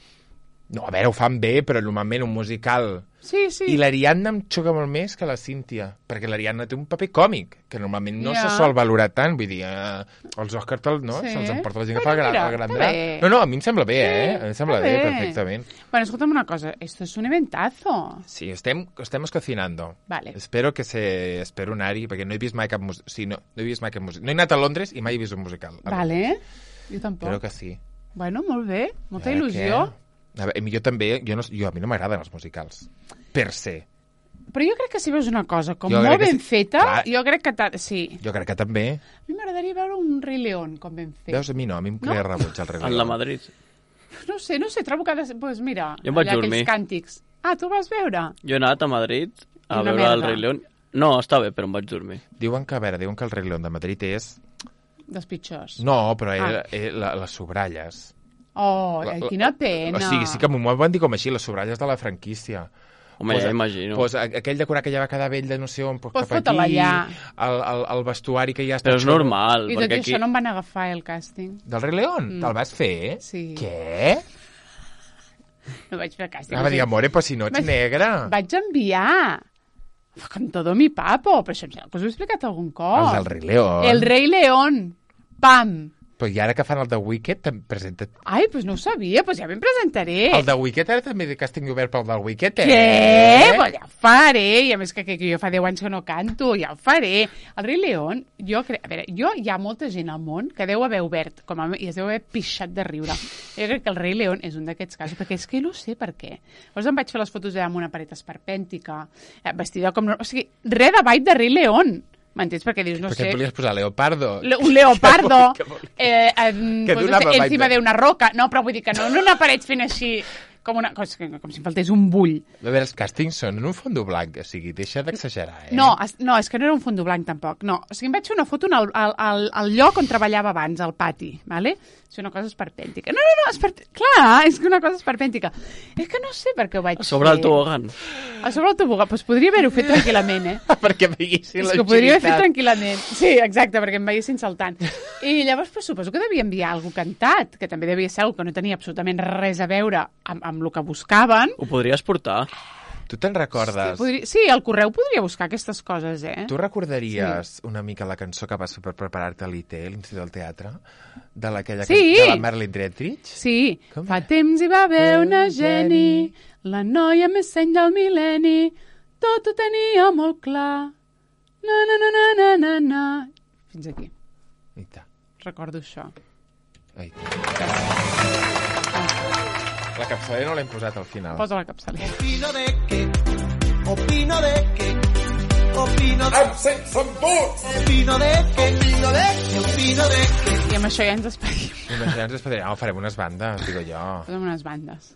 No, a veure, ho fan bé, però normalment un musical... Sí, sí. I l'Ariadna em xoca molt més que la Cíntia, perquè l'Ariadna té un paper còmic, que normalment no Ja. se sol valorar tant, vull dir, eh, els Oscars te'l- no? Sí. se'ls emporta la gent que Bueno, fa el gran, mira, el gran està drap. bé. No, no, a mi em sembla bé, eh? Sí, A mi em sembla està bé, bé. perfectament. Bueno, escolta'm una cosa, esto es un eventazo. Sí, estem, estem cocinando. Vale. Espero que se... Espero anar-hi, perquè no he vist mai cap musical. Sí, no, no he vist mai cap musical. No he anat a Londres i mai he vist un musical. A Vale. Jo tampoc. Espero que sí. Bueno, molt bé. Molta Eh, il·lusió. què? A veure, jo també, jo, no, jo a mi no m'agraden els musicals, per se. Però jo crec que si veus una cosa com Jo crec molt que ben sí. feta, Clar. jo crec que... t'ha- Sí. Jo crec que també. A mi m'agradaria veure un Rei León com ben fet. Veus, a mi no, a mi em crea No? rebuig el Rei en León. la Madrid. No sé, no sé, trobo que... ha de ser- Pues mira, Jo em vaig allà dormir. aquells càntics. Ah, tu vas veure? Jo he anat a Madrid a I una veure el merda. Rei León. No, està bé, però em vaig dormir. Diuen que, a veure, diuen que el Rei León de Madrid és... Dels pitjors. No, però era, Ah. era la, les sobralles. Oh, La- ai, la- quina pena. O sigui, sí que m'ho van dir com així, les sobralles de la franquícia. Home, ja imagino. Pues, a- aquell decorat que ja va quedar vell de no sé on, pues, Pues cap fota-la aquí, allà. el, el, el vestuari que ja està... Però és xolo. normal, I tot i perquè això aquí... no em van agafar, eh, el càsting. Del Rei León? Mm. Te'l vas fer? Sí. Què? No vaig fer el càsting. Ah, va dir, amore, però si no ets Vaig- negra. Vaig enviar. Con todo mi papo. Però això em sembla que us ho he explicat algun cop. El del Rei León. El Rei León. Pam. Però i ara que fan el de Wicked, te'n presenta... Ai, doncs no ho sabia, doncs ja me'n presentaré. El de Wicked ara també de càsting obert pel del Wicked, eh? Què? Pues ja ho faré. I a més que, que, que jo fa deu anys que no canto, ja ho faré. El Rei León, jo crec... A veure, jo hi ha molta gent al món que deu haver obert, com a, i es deu haver pixat de riure. Jo crec que el Rei León és un d'aquests casos, perquè és que no sé per què. Llavors em vaig fer les fotos allà amb una paret esperpèntica, eh, vestida com... No, o sigui, res de ball de Rei León. M'entens? Perquè dius, no Perquè sé... et volies posar Leopardo. Le- un leopardo Que vol- eh, en, que pues, no donava sé, vibe. encima d'una roca. No, però vull dir que no en una paret fent així com, una, com, com si em faltés un bull. A veure, els càstings són en un fondo blanc, o sigui, deixa d'exagerar, eh? No, es, no, és que no era un fondo blanc tampoc. No, o sigui, em vaig fer una foto al, al, al, al lloc on treballava abans, al pati, ¿vale? És una cosa esperpèntica. No, no, no, esper... clar, és que una cosa esperpèntica. És que no sé per què ho vaig A sobre fer. el tobogan. A sobre el tobogan, doncs podria haver-ho fet tranquil·lament, eh? Perquè veiessin És que ho podria haver fet tranquil·lament. Sí, exacte, perquè em veiessin saltant. I llavors, pues, suposo que devia enviar algú cantat, que també devia ser algú que no tenia absolutament res a veure amb, amb el que buscaven. Ho podries portar. Tu te'n recordes? Podria... Sí, el correu podria buscar aquestes coses, eh? Tu recordaries sí. una mica la cançó que vas fer per preparar-te a l'I T, l'Institut del Teatre? De l'aquella sí. can... de la Marlene Dietrich? Sí. Com Fa era? temps hi va haver una Jenny, la noia més seny del mil·lenni, tot ho tenia molt clar. Na, na, na, na, na, na, na. Fins aquí. Aita. Recordo això. Aita. La capçalera no l'hem posat al final. Posa la capçalera. Opino de que, opino de que, opino de Amb sense embuts! opino de que, opino de que, opino de que. I amb això ja ens despedim. Imaginem, ens despedirem. Oh, farem unes bandes, digo jo. Posa'm unes bandes.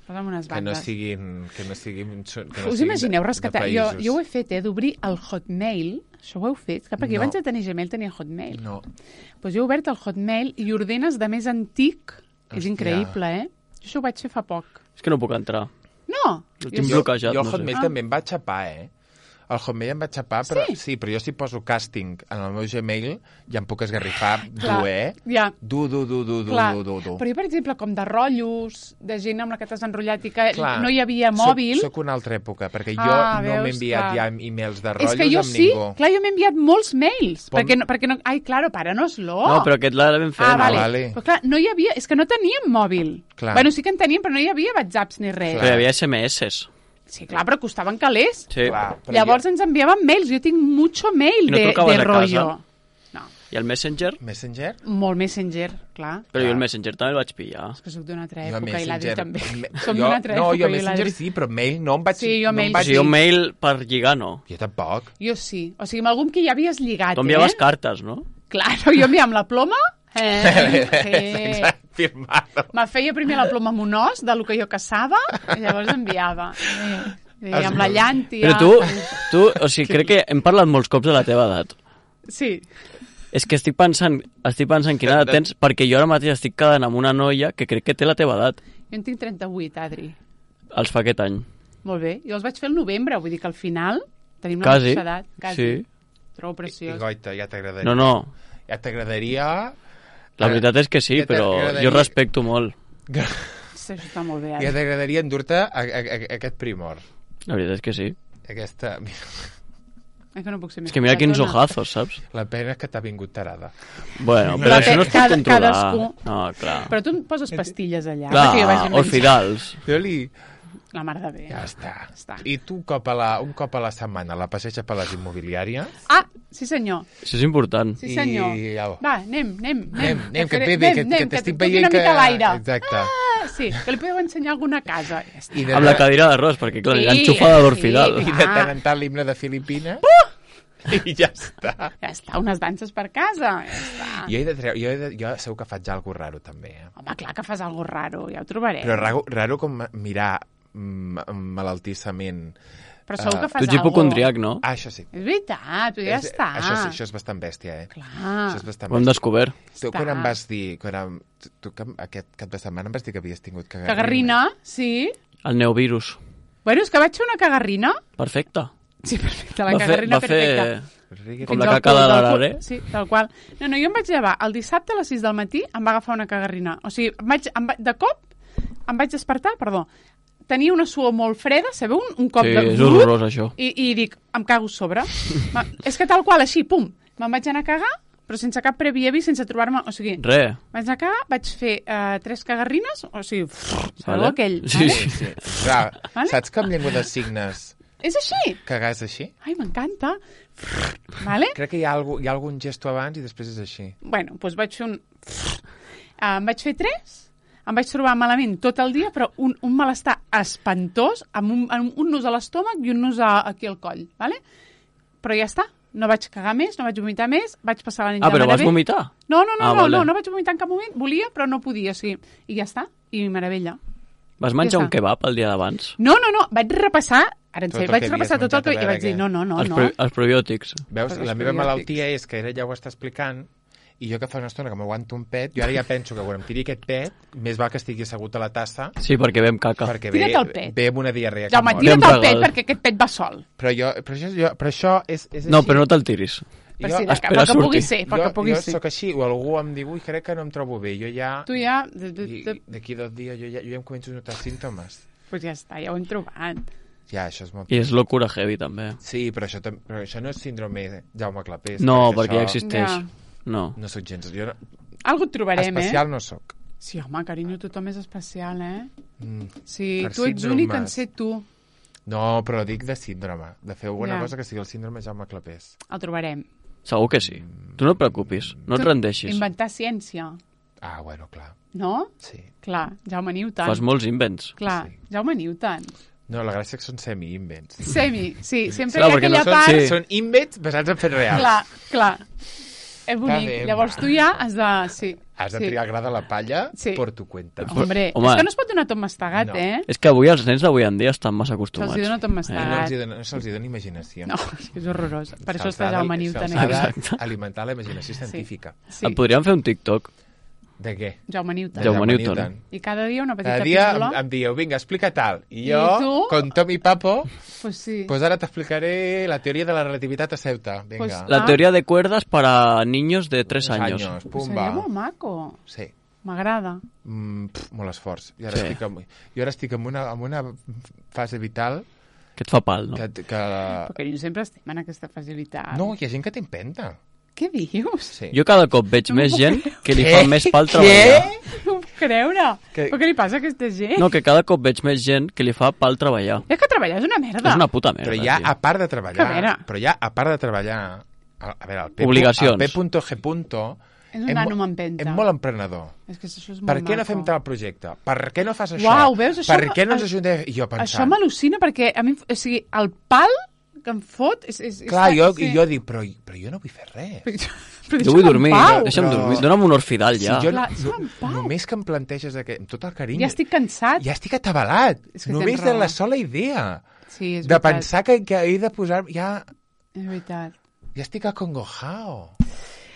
Posa'm unes Que no bandes. siguin... Que no siguin que no Us siguin imagineu de- rescatar... de Jo, països. jo ho he fet, eh, d'obrir el Hotmail. Això ho heu fet? Que perquè No. abans de tenir Gmail tenia Hotmail. No. Doncs jo he obert el Hotmail i ordenes de més antic. És Hòstia. increïble, eh? Jo això ho vaig fer fa poc. És que no puc entrar. No! El Jo tinc sí. bloquejat, Jo el no sé. Hotmail Ah. també em va xapar, eh? El Hotmail em va xapar, però Sí? sí, però jo si poso casting en el meu Gmail ja em puc esgarrifar Clar, dur, eh? ja. Du, du, du, du, du, Clar. du, du, du. Però jo, per exemple, com de rotllos, de gent amb la que t'has enrotllat i que Clar. no hi havia mòbil... Soc, soc una altra època, perquè jo Ah, no veus, m'he enviat clar. ja e-mails de rotllos És que jo amb sí, ningú. clar, jo m'he enviat molts mails. Pon- Perquè no, perquè no... Ai, claro, páranos-lo. No, però aquest l'ha ben fet. Ah, no? vale. vale. Però clar, no hi havia... És que no teníem mòbil. Clar. Bueno, sí que en teníem, però no hi havia whatsapps ni res. Però hi havia esse eme esses. Sí, clar, però costaven calés. Sí. Clar, però Llavors ens enviaven mails. Jo tinc mucho mail I no de, trucaves de a casa? rollo. No, I el Messenger? jo... Messenger? molt Messenger, clar. Però jo el Messenger també el vaig pillar. És que soc d'una altra Jo època i l'Adri també. Me- Som jo- d'una altra No, època jo i Messenger l'Adri. sí, però mail no em vaig... Sí, jo no mail em O vaig sigui, un dir- mail per lligar, no. Jo tampoc. Jo sí. O sigui, amb algun que ja havies lligat, Tu enviaves eh? cartes, no? Claro, jo enviava amb la ploma. Eh, eh. Firmado. Me feia primer la ploma amb un os, de lo que jo caçava, i llavors enviava. Eh, eh, amb la llàntia. Però tu, tu, o sigui, crec que hem parlat molts cops de la teva edat. Sí. És que estic pensant, estic pensant quina edat tens, perquè jo ara mateix estic quedant amb una noia que crec que té la teva edat. Jo en tinc trenta-vuit, Adri. Els fa aquest any. Molt bé. Jo els vaig fer al novembre, vull dir que al final tenim la Quasi. mateixa edat. Quasi. Sí. Trobo I preciós. goita, ja t'agradaria. No, no, Ja t'agradaria... la veritat és que sí, Ja però t'agradaria- jo respecto molt. Sí, això està molt bé, Ja Adri. t'agradaria endur-te a, a, a, aquest primor. La veritat és que sí. Aquesta... És que no puc ser més És que mira quins petona. ojazos, saps? La pena és que t'ha vingut tarada. Bueno, però La això no es pot cada- controlar. cadascú. No, clar. Però tu em poses pastilles allà. perquè jo vagi Clar, menjant. orfidals. Jo li... La mar de bé. Ja està. està. I tu un cop, a la, un cop a la setmana la passeja per les immobiliàries? Ah, sí senyor. Això és important. Sí senyor. I au. Va, anem, anem, Anem, anem, que, faré- bé, bé, que, anem, que t'estic toqui veient una que... mica l'aire. Exacte. Ah, sí, que li podeu ensenyar alguna casa. Ja està. I de, Amb la cadira d'arròs, perquè clar, Sí, sí, enxufada d'orfidal. sí. I de Ah. tant en tant l'himne de Filipines. I ja està. Ja està, unes danses per casa. Ja està. Jo, he de treure, jo, he de, jo segur que faig alguna raro, també. Eh? Home, clar que fas algo raro, ja ho trobarem. Però raro, raro com mirar mm, malaltissament. Però segur que Ah, fas Tu ets algo. hipocondriac, no? Ah, això sí. És veritat, però ja És- està. Això sí, això és bastant bèstia, eh? Clar. Això és bastant Ho hem bèstia. descobert. Tu, quan Està. em vas dir... Quan em, tu, que aquest cap de setmana em vas dir que havies tingut cagarrina. Cagarrina, sí. El neovirus. Bueno, és que vaig fer una cagarrina. Perfecte. Sí, perfecte, la Va fer, cagarrina va fer perfecta. Rigui- com Fins la al caca cul, de del l'arare. cul. Sí, tal qual. No, no, jo em vaig llevar el dissabte a les sis del matí, em va agafar una cagarrina. O sigui, em vaig, em va, de cop em vaig despertar, perdó, tenia una suor molt freda, sabeu? Un, un cop Sí, de... és horrorós, això. I, I dic, em cago a sobre. Ma, és que tal qual, així, pum, me'n vaig anar a cagar, però sense cap previ avís, sense trobar-me... O sigui, Re. vaig anar a cagar, vaig fer uh, tres cagarrines, o sigui, sabeu Vale. aquell? Sí, vale? sí. Sí. Clar, Vale. saps que amb llengua de signes És així? cagàs així? Ai, m'encanta. Vale? Crec que hi ha, algú, hi ha algun gesto abans i després és així. Bueno, doncs vaig fer un... Uh, em vaig fer tres, em vaig trobar malament tot el dia, però un, un malestar espantós, amb un, amb un nus a l'estómac i un nus a, aquí al coll, ¿vale? Però ja està, no vaig cagar més, no vaig vomitar més, vaig passar la nit Ah, de però vas meravell. vomitar? No, no, no, Ah, no, vale. no, no vaig vomitar en cap moment, volia, però no podia, o sigui, i ja està, i meravella. Vas menjar Ja un està. kebab el dia d'abans? No, no, no, vaig repassar, ara en Tot sèrio, el vaig que repassar havies tot el que... menjat, I a vaig dir, veure no, no, no, els, no. pro els probiòtics. Veus? Els I la meva probiòtics. malaltia és que ella ja ho està explicant i jo que fa una estona que m'aguanto un pet, jo ara ja penso que quan em tiri aquest pet, més val que estigui assegut a la tassa Sí, perquè vam caca. perquè ve, Tira't el pet. ve amb una diarrea que Jaume, mor. tira't Ben el pet regal. perquè aquest pet va sol. Però, jo, però, això, jo, però això és, és així. No, però no te'l tiris. Per jo, si de espera cap, que sortir. pugui ser, perquè jo, pugui jo ser. sóc així, o algú em diu, ui, crec que no em trobo bé, jo ja... Tu ja... i- D'aquí dos dies jo ja, jo ja em començo a notar símptomes. Pues ja està, ja ho hem trobat. Ja, això és molt... I és locura heavy, també. Sí, però això, tam- però això no és síndrome Jaume Clapés. No, perquè ja això existeix. Ja. No. No sóc gens... Jo no, Algo et trobarem, especial eh? no sóc. Sí, home, carinyo, tothom és especial, eh? Mm. Sí, Per tu ets síndromes. únic en ser tu. No, però dic de síndrome. De fer alguna Ja. cosa que sigui el síndrome Jaume Clapés. El trobarem. Segur que sí. Tu no et preocupis, no et Tu- rendeixis. Inventar ciència, Ah, bueno, clar. no? Sí. Clar, Jaume Newton. Fas molts invents. Clar, Sí. Jaume Newton. No, la gràcia és que són semi-invents. Semi, sí, sempre Clar, hi ha perquè no aquella són- part... sí. Són invents basats en fets reals. Clar, clar. És bonic. bé. Llavors tu ja has de... Sí, Has de sí. triar gra de la palla Sí. por tu cuenta. Hombre, Home. és que no es pot donar tot mastegat, No. eh? És que avui els nens d'avui en dia estan massa acostumats. Se'ls dona tot No, mastegat. els hi dona, no se'ls hi dona imaginació. No, és que és horrorós. Per això Se'ls està ha de- Jaume Newton. se'ls ha Eh? d'alimentar la imaginació científica. Sí, Et podríem fer un TikTok. De què? Jaume Newton. De Jaume Newton. I cada dia una petita Cada dia em, píndola. em dieu, vinga, explica tal. I I jo, tu? con Tom i Papo, Pues sí. pues ara t'explicaré la teoria de la relativitat a Ceuta. Vinga. Pues- La Ah. teoría de cuerdas para niños de tres años. Años. Pues Pumba. seria molt maco. Sí. M'agrada. Mm, pf, molt esforç. Jo ara, Sí. estic, en, jo ara estic en una, en una fase vital Que et fa pal, no? que... que Perquè jo sempre estem en aquesta facilitat. no, hi ha gent que t'empenta. Què dius? Sí. Jo cada cop veig No m'ho més puc gent creure. que li Què? fa més pal treballar. No ho puc creure. Que- Però què li passa a aquesta gent? No, que cada cop veig més gent que li fa pal treballar. És que treballar és una merda. És una puta merda, Però ja, tio. a part de Que a treballar... veure. Però ja, a part de treballar... A, a veure, el P. Obligacions. El P.G. És un és nano mo- m'empenta. És molt emprenedor. És que això és molt Per què no maco. fem tal projecte? Per què no fas això? Uau, veus? Això per què no ens a- ajuntem? I jo Això pensant... m'al·lucina perquè a mi, o sigui, el pal que em fot és... és, és Clar, jo, sí. i jo dic, però, però jo no vull fer res. Però, però Jo vull deixa'm en dormir, pau. deixa'm Però- dormir. Dóna'm un orfidal ja. si jo Clar, no, deixa'm en pau. només que em planteges aquest, amb tot el carinyo... Ja estic cansat. Ja estic atabalat. És que Només tens de raó. la sola idea. Sí, és De veritat. pensar que, que he de posar... Ja, És veritat. ja estic acongojao.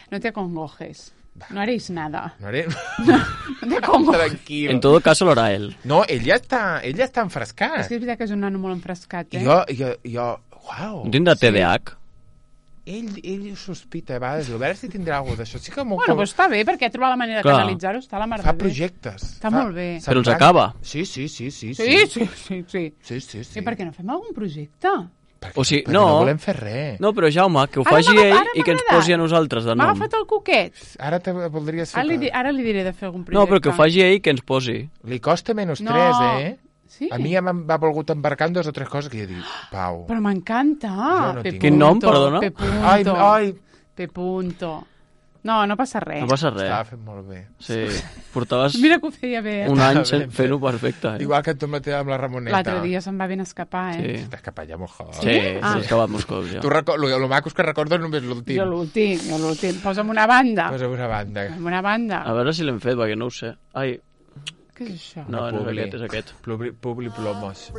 No te acongojes. No haréis nada. No haré... No te acongojes. Tranquil. En todo caso lo hará él. No, ell ja està, ell ja està enfrescat. És que és veritat que és un nano molt enfrescat, eh? Jo, jo, jo... Uau. No tindrà T D A H? Ell, ell sospita a vegades, a veure si tindrà alguna d'això. Sí que m'ho... Bueno, doncs està bé, perquè ha trobat la manera de Clar. canalitzar-ho. Està a la mar Fa de bé. projectes. Està fa... molt bé. se'n Però els fa- acaba. Sí, sí, sí, sí. Sí, sí, sí, sí. Sí, sí, sí. I per què no fem algun projecte? Perquè, O sigui, perquè no. no volem fer res. No, però Jaume, que ho Ara faci m'ha- ell ara i que ens m'ha posi a agradat. nosaltres de M'ha nom. agafat el coquet. Ara te voldries fer... Ara li, di- que- ara li diré de fer algun projecte. No, però que ho faci ell i que ens posi. Li costa menys No. tres, eh? Sí? A mi ja m'ha volgut embarcar en dos o tres coses que jo dic, Pau... Però m'encanta. Jo no Pe tinc. Quin nom, punto, perdona? Pe punto. Ai, ai, Pe punto. No, no passa res. No passa res. estava fent molt bé. Sí, portaves Mira que ho feia bé. Eh? un any Estava ben fent-ho perfecte. Eh? Igual que tu amb la, amb la Ramoneta. L'altre dia se'n va ben escapar, eh? Sí, T'has escapat ja molt joc. sí, Ah. s'ha acabat molts cops ja. Tu record, lo, lo maco és que recordo només l'últim. Jo l'últim, jo l'últim. Posa'm una banda. Posa una banda. Posa'm una banda. A veure si l'hem fet, perquè no ho sé. Ai, Què és això? no, no és Publi. aquest, és aquest. Publi, publi plomos.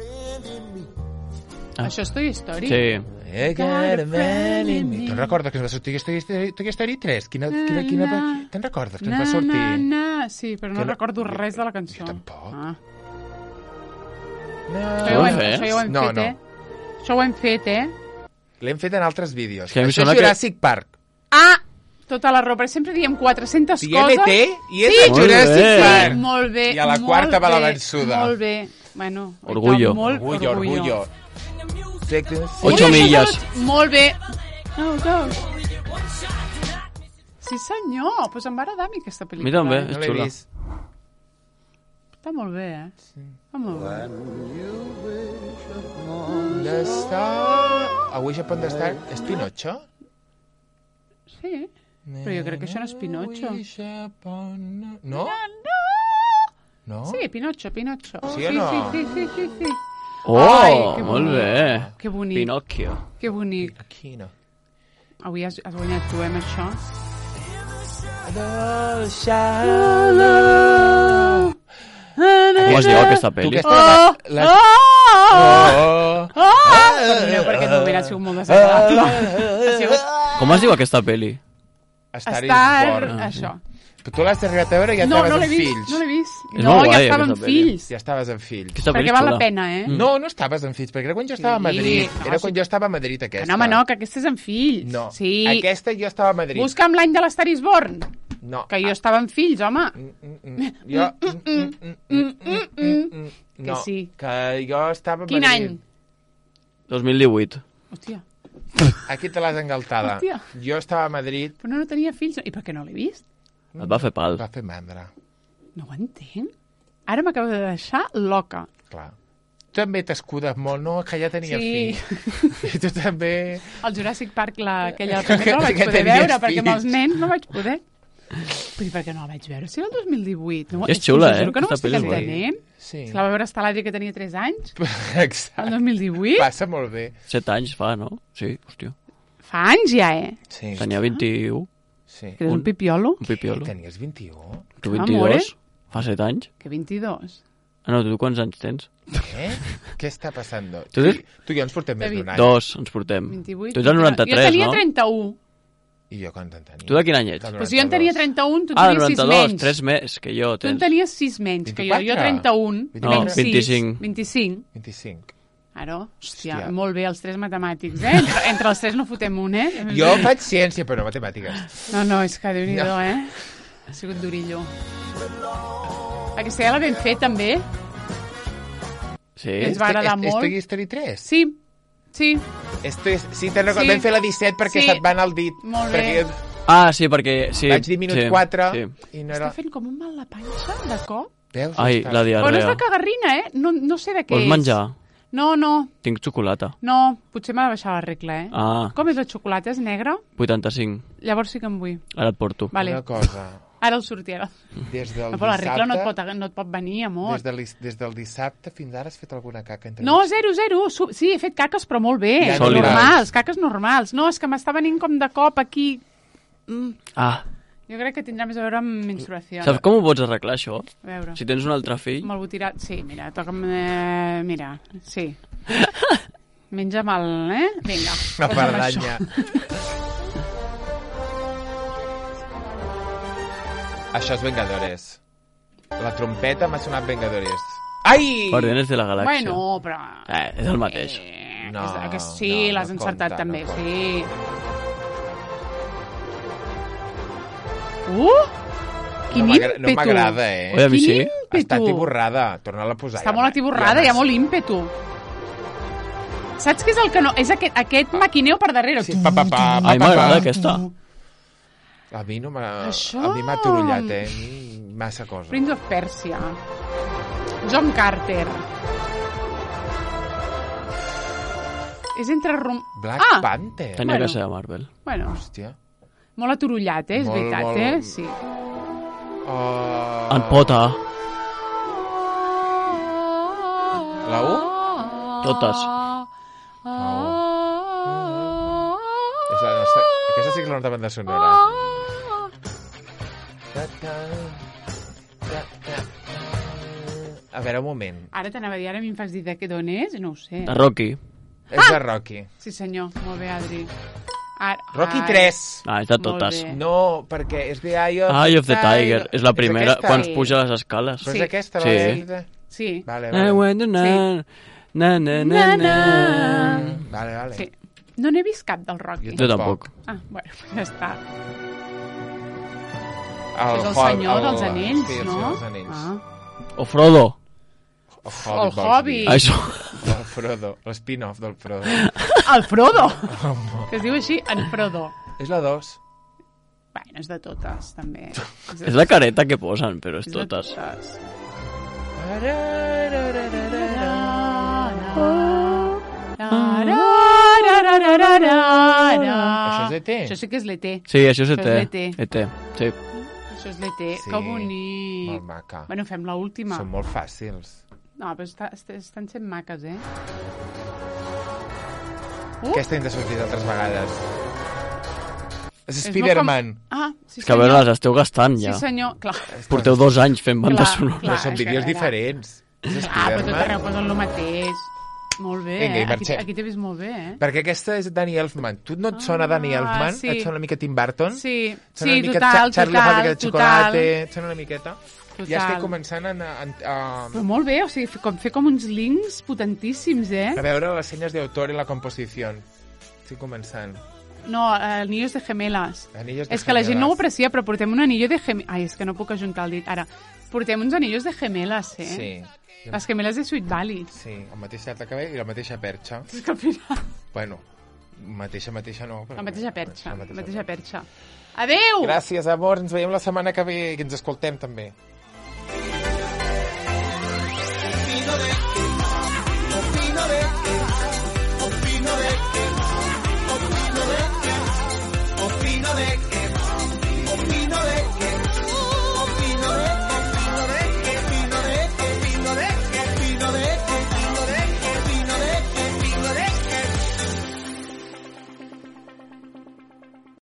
Ah. Això és Toy Story? Sí. Eh, got a man in me. Te'n recordes que ens va sortir Toy Story, Toy Story tres? Quina, quina, quina, te'n recordes que ens va Na, sortir? na, na. Sí, però no Que no- recordo res de la cançó. Jo tampoc. Ah. No. Això, ja ho hem, fer? això ja ho hem No, fet, no. eh? Això ho hem fet, eh? L'hem fet en altres vídeos. Que a mi em Això és sembla que- Jurassic Park. Ah! Tota la raó, perquè sempre diem quatre-centes I coses. M T i és Sí. de Jurassic Molt bé. Park. Molt bé, I a la molt quarta va la bé, vençuda. Molt bé. Bueno, Orgullo. Molt Orgullo, orgullo. Ocho Una milles. salut, Molt bé. Go, go. Sí, senyor. Doncs pues em va agradar a mi aquesta A pel·lícula. mi també, eh? No és l'he xula. vist. Està molt bé, eh? Està molt bé. The Star... A Wish Upon the Star... És Pinocho? Sí. Però jo crec que això no és Pinocho. Wish upon- No? No? Sí, Pinocho, Pinocho. Sí o no? Sí, sí, sí, sí, sí. Oh, Ai, que molt bonic. bé. Que bonic, Pinocchio. que bonic. Aquí no. Avui has, has guanyat tu, eh, amb això. Aquest Com es diu aquesta Tu pel·li? aquesta... Oh! la- Oh! Oh! Oh! Perdoneu, perquè aquest moment ha sigut molt desagradable. Ha sigut Com es diu aquesta pel·li? Star is estar... Born. Això. Però tu l'has arribat a veure i ja No, estaves no l'he amb vist, fills. no l'he vist. És No, molt ja guai, estava amb aquesta pel·li. fills. Ja estaves amb fills. Aquesta pel·li Perquè és val la xula. pena, eh? No, no estaves amb fills, perquè era quan jo estava a Madrid. no, Era sí. quan jo estava a Madrid, aquesta. No, home, no, que aquesta és amb fills. No, Sí. aquesta jo estava a Madrid. Busca'm l'any de l'Star is Born. No. Que jo estava amb fills, home. Mm, mm, mm. Jo... mm, mm, mm, mm, mm, mm, mm. Que No, sí. que jo estava a Quin Madrid. any? dos mil divuit. Hòstia, Aquí te l'has engaltada. Hòstia. Jo estava a Madrid, però no, no tenia fills. I per què no l'he vist? Et va fer pal. va fer mandra. No ho entenc. Ara m'acabo de deixar loca. Clar. Tu també t'escudes molt, no? Que ja tenia Sí. fills. I tu també... Al Jurassic Park, la, aquella primera, no la vaig Que poder tenies veure, perquè amb els fills. nens no vaig poder. Però i per què no la vaig veure? Si era el dos mil divuit. No? És xula, us eh? juro que no Aquesta m'estic pel·li és guai. entenent. Sí. És que la va veure estar l'Adri que tenia tres anys, Exacte. el dos mil divuit. Passa molt bé. Set anys fa, no? Sí, hòstia. Fa anys ja, eh? Sí. Tenia vint-i-u, Sí. Que eres un pipiolo. un pipiolo. Tenies vint-i-u? Tu Ah, vint-i-dos? amore. Fa set anys? Que vint-i-dos. Ah, no, tu quants anys tens? Eh? Què està passant? Tu Tu, dius- tu i jo ens portem més d'un any. Dos, ens portem. vint-i-vuit. Tu ets el noranta-tres, jo tenia no? trenta-u. I jo quan te'n tenia? Tu de quin any ets? Del Pues jo en tenia trenta-un, tu en Ah, tenies sis noranta-dos, menys. tres més que jo. Tu en Tens. tenies sis menys que jo. Jo vint-i-quatre? trenta-un, No, menys sis, vint-i-cinc. vint-i-cinc. vint-i-cinc. Ara, hòstia, Hòstia. molt bé, els tres matemàtics, eh? Entre, entre els tres no fotem un, eh? Jo faig ciència, però no matemàtiques. No, no, és que Déu-n'hi-do, No. eh? Ha sigut durillo. Aquesta ja la vam fer, també. Sí? Ens va agradar molt. Estoy History tres? Sí, sí, Esto és... Sí, te'n recordo. Sí. Vam fer la disset perquè Sí. se't va anar el dit. Molt bé. Perquè jo Ah, sí, perquè... Sí, vaig dir minut sí, quatre Sí. i no està era... fent com un mal la panxa, de cop. Veus? Ai, Està- la Però no és diarrea. de cagarrina, eh? No, no sé de què Vols és. menjar? No, no, Tinc xocolata. no, potser m'ha de baixar la regla, eh? Ah, Com és la xocolata? És negra? vuitanta-cinc. Llavors sí que em vull. Ara et porto. Vale. Una cosa. Ara el sortirà. Des del No, però la regla no et, dissabte... pot, no et pot venir, amor. Des, de l'is- des del dissabte fins ara has fet alguna caca entre No, mig? zero, zero. Su- Sí, he fet caques, però molt bé. Ja, sòlides. Normals, caques normals. No, és que m'està venint com de cop aquí. Mm. Ah, Jo crec que tindrà més a veure amb menstruació. saps com ho pots arreglar, això? A veure. Si tens un altre fill... Me'l vull tirar... Sí, mira, toca'm... Eh, mira, sí. Menja mal, eh? Vinga. Una posa'm pardanya. Això és Vengadores. La trompeta m'ha sonat Vengadores. Ai! Guardianes de la això. Galàxia. Bueno, però... Eh, és el mateix. Eh, No, és, que sí, no, l'has no encertat compta, també, no sí. Uh! Quin no m'agra- ímpetu! no m'agrada, eh? Oi, a mi Quin sí. ímpetu! Està tiborrada. Torna-la a posar. Està molt atiborrada, hi ha molt ímpetu. Saps què és el que no... És aquest, aquest maquineu per darrere. Sí, pa, pa, pa, A pa, mi pa, m'agrada pa. aquesta. A mi no m'ha... Això- A mi m'ha torullat, eh? Mm, Massa cosa. Prince of Persia. John Carter. És entre... Rom... Black ah! Panther. Tenia Bueno. que ser de Marvel. Bueno, Hòstia. molt aturullat, eh? És Molt, veritat, molt- eh? Sí. Uh... En Pota. La U? Totes. És la nostra... Aquesta sí que és la nostra banda sonora. A veure, un moment. Ara t'anava a dir, ara a mi em fas dir de què d'on és? No ho sé. De Rocky. És de Rocky. Sí, senyor. Molt bé, Adri. Ara... Rocky Ai. tres. Ah, és de Molt totes. bé. No, perquè és de Eye of, Eye of the Tiger. És la primera, aquesta? quan Sí. es puja les escales. Però Sí. és aquesta, Sí. la de... de- Sí. Vale, I vale. went to na, na, na, na, Na, na. na. Vale, vale. Sí. No n'he vist cap del Rocky. Jo tampoc. Ah, bueno, ja està. El és el Hob- senyor el- dels anells, sí, el no? Senyor dels anells. Ah. O Frodo. El El vols dir. Hobbit. Això. El Frodo, l'spin-off del Frodo. El Frodo! que es diu així, en Frodo. És la dos. Bueno, és de totes, també. És, de És la careta que posen, però és és de totes. totes. Això és E T? Això sí que és l'E T. Sí, això és E Això T. és l'E T. E T, sí. Això és l'E T. Sí, Que bonic. Molt maca. Bueno, fem l'última. Són molt fàcils. No, però està, est- estan sent maques, eh? Uh, Aquesta hem de sortir d'altres vegades. És és Spider-Man. molt Com... Ah, sí, És que a veure, senyor. les esteu gastant ja. Sí, senyor, clar. Porteu dos anys fent banda Clar, sonora. Però clar. són és que vídeos era- diferents. És Ah, però tot Spiderman. arreu posen el mateix. Molt bé, Vinga, i eh? Aquí, marxem. aquí t'he vist molt bé, eh? Perquè aquesta és Danny Elfman. Tu no et sona Ah, Danny Elfman? sí. Et sona una mica Tim Burton? Sí, Et sona sí, una mica total, Cha- Charlie la total, fàbrica de total. xocolate? Et sona una miqueta? Total. Ja estic començant a... a, a, Però molt bé, o sigui, fer com, fer com uns links potentíssims, eh? a veure les senyes d'autor i la composició. Estic començant. No, eh, anillos de gemelas. Anillos de És que la gent no ho gemelas. aprecia, però portem un anillo de gemelas. Ai, és que no puc ajuntar el dit. Ara, portem uns anillos de gemelas, eh? Sí. Les gemelas de Sweet Valley. Sí, el mateix llarg de cabell i la mateixa perxa. És que al final... Bueno, mateixa, mateixa no. Però La mateixa perxa, La la mateixa mateixa perxa. Adeu! Gràcies, amor. Ens veiem la setmana que ve i ens escoltem també. Opino de que, opino de que, opino de que, opino de que, opino de que.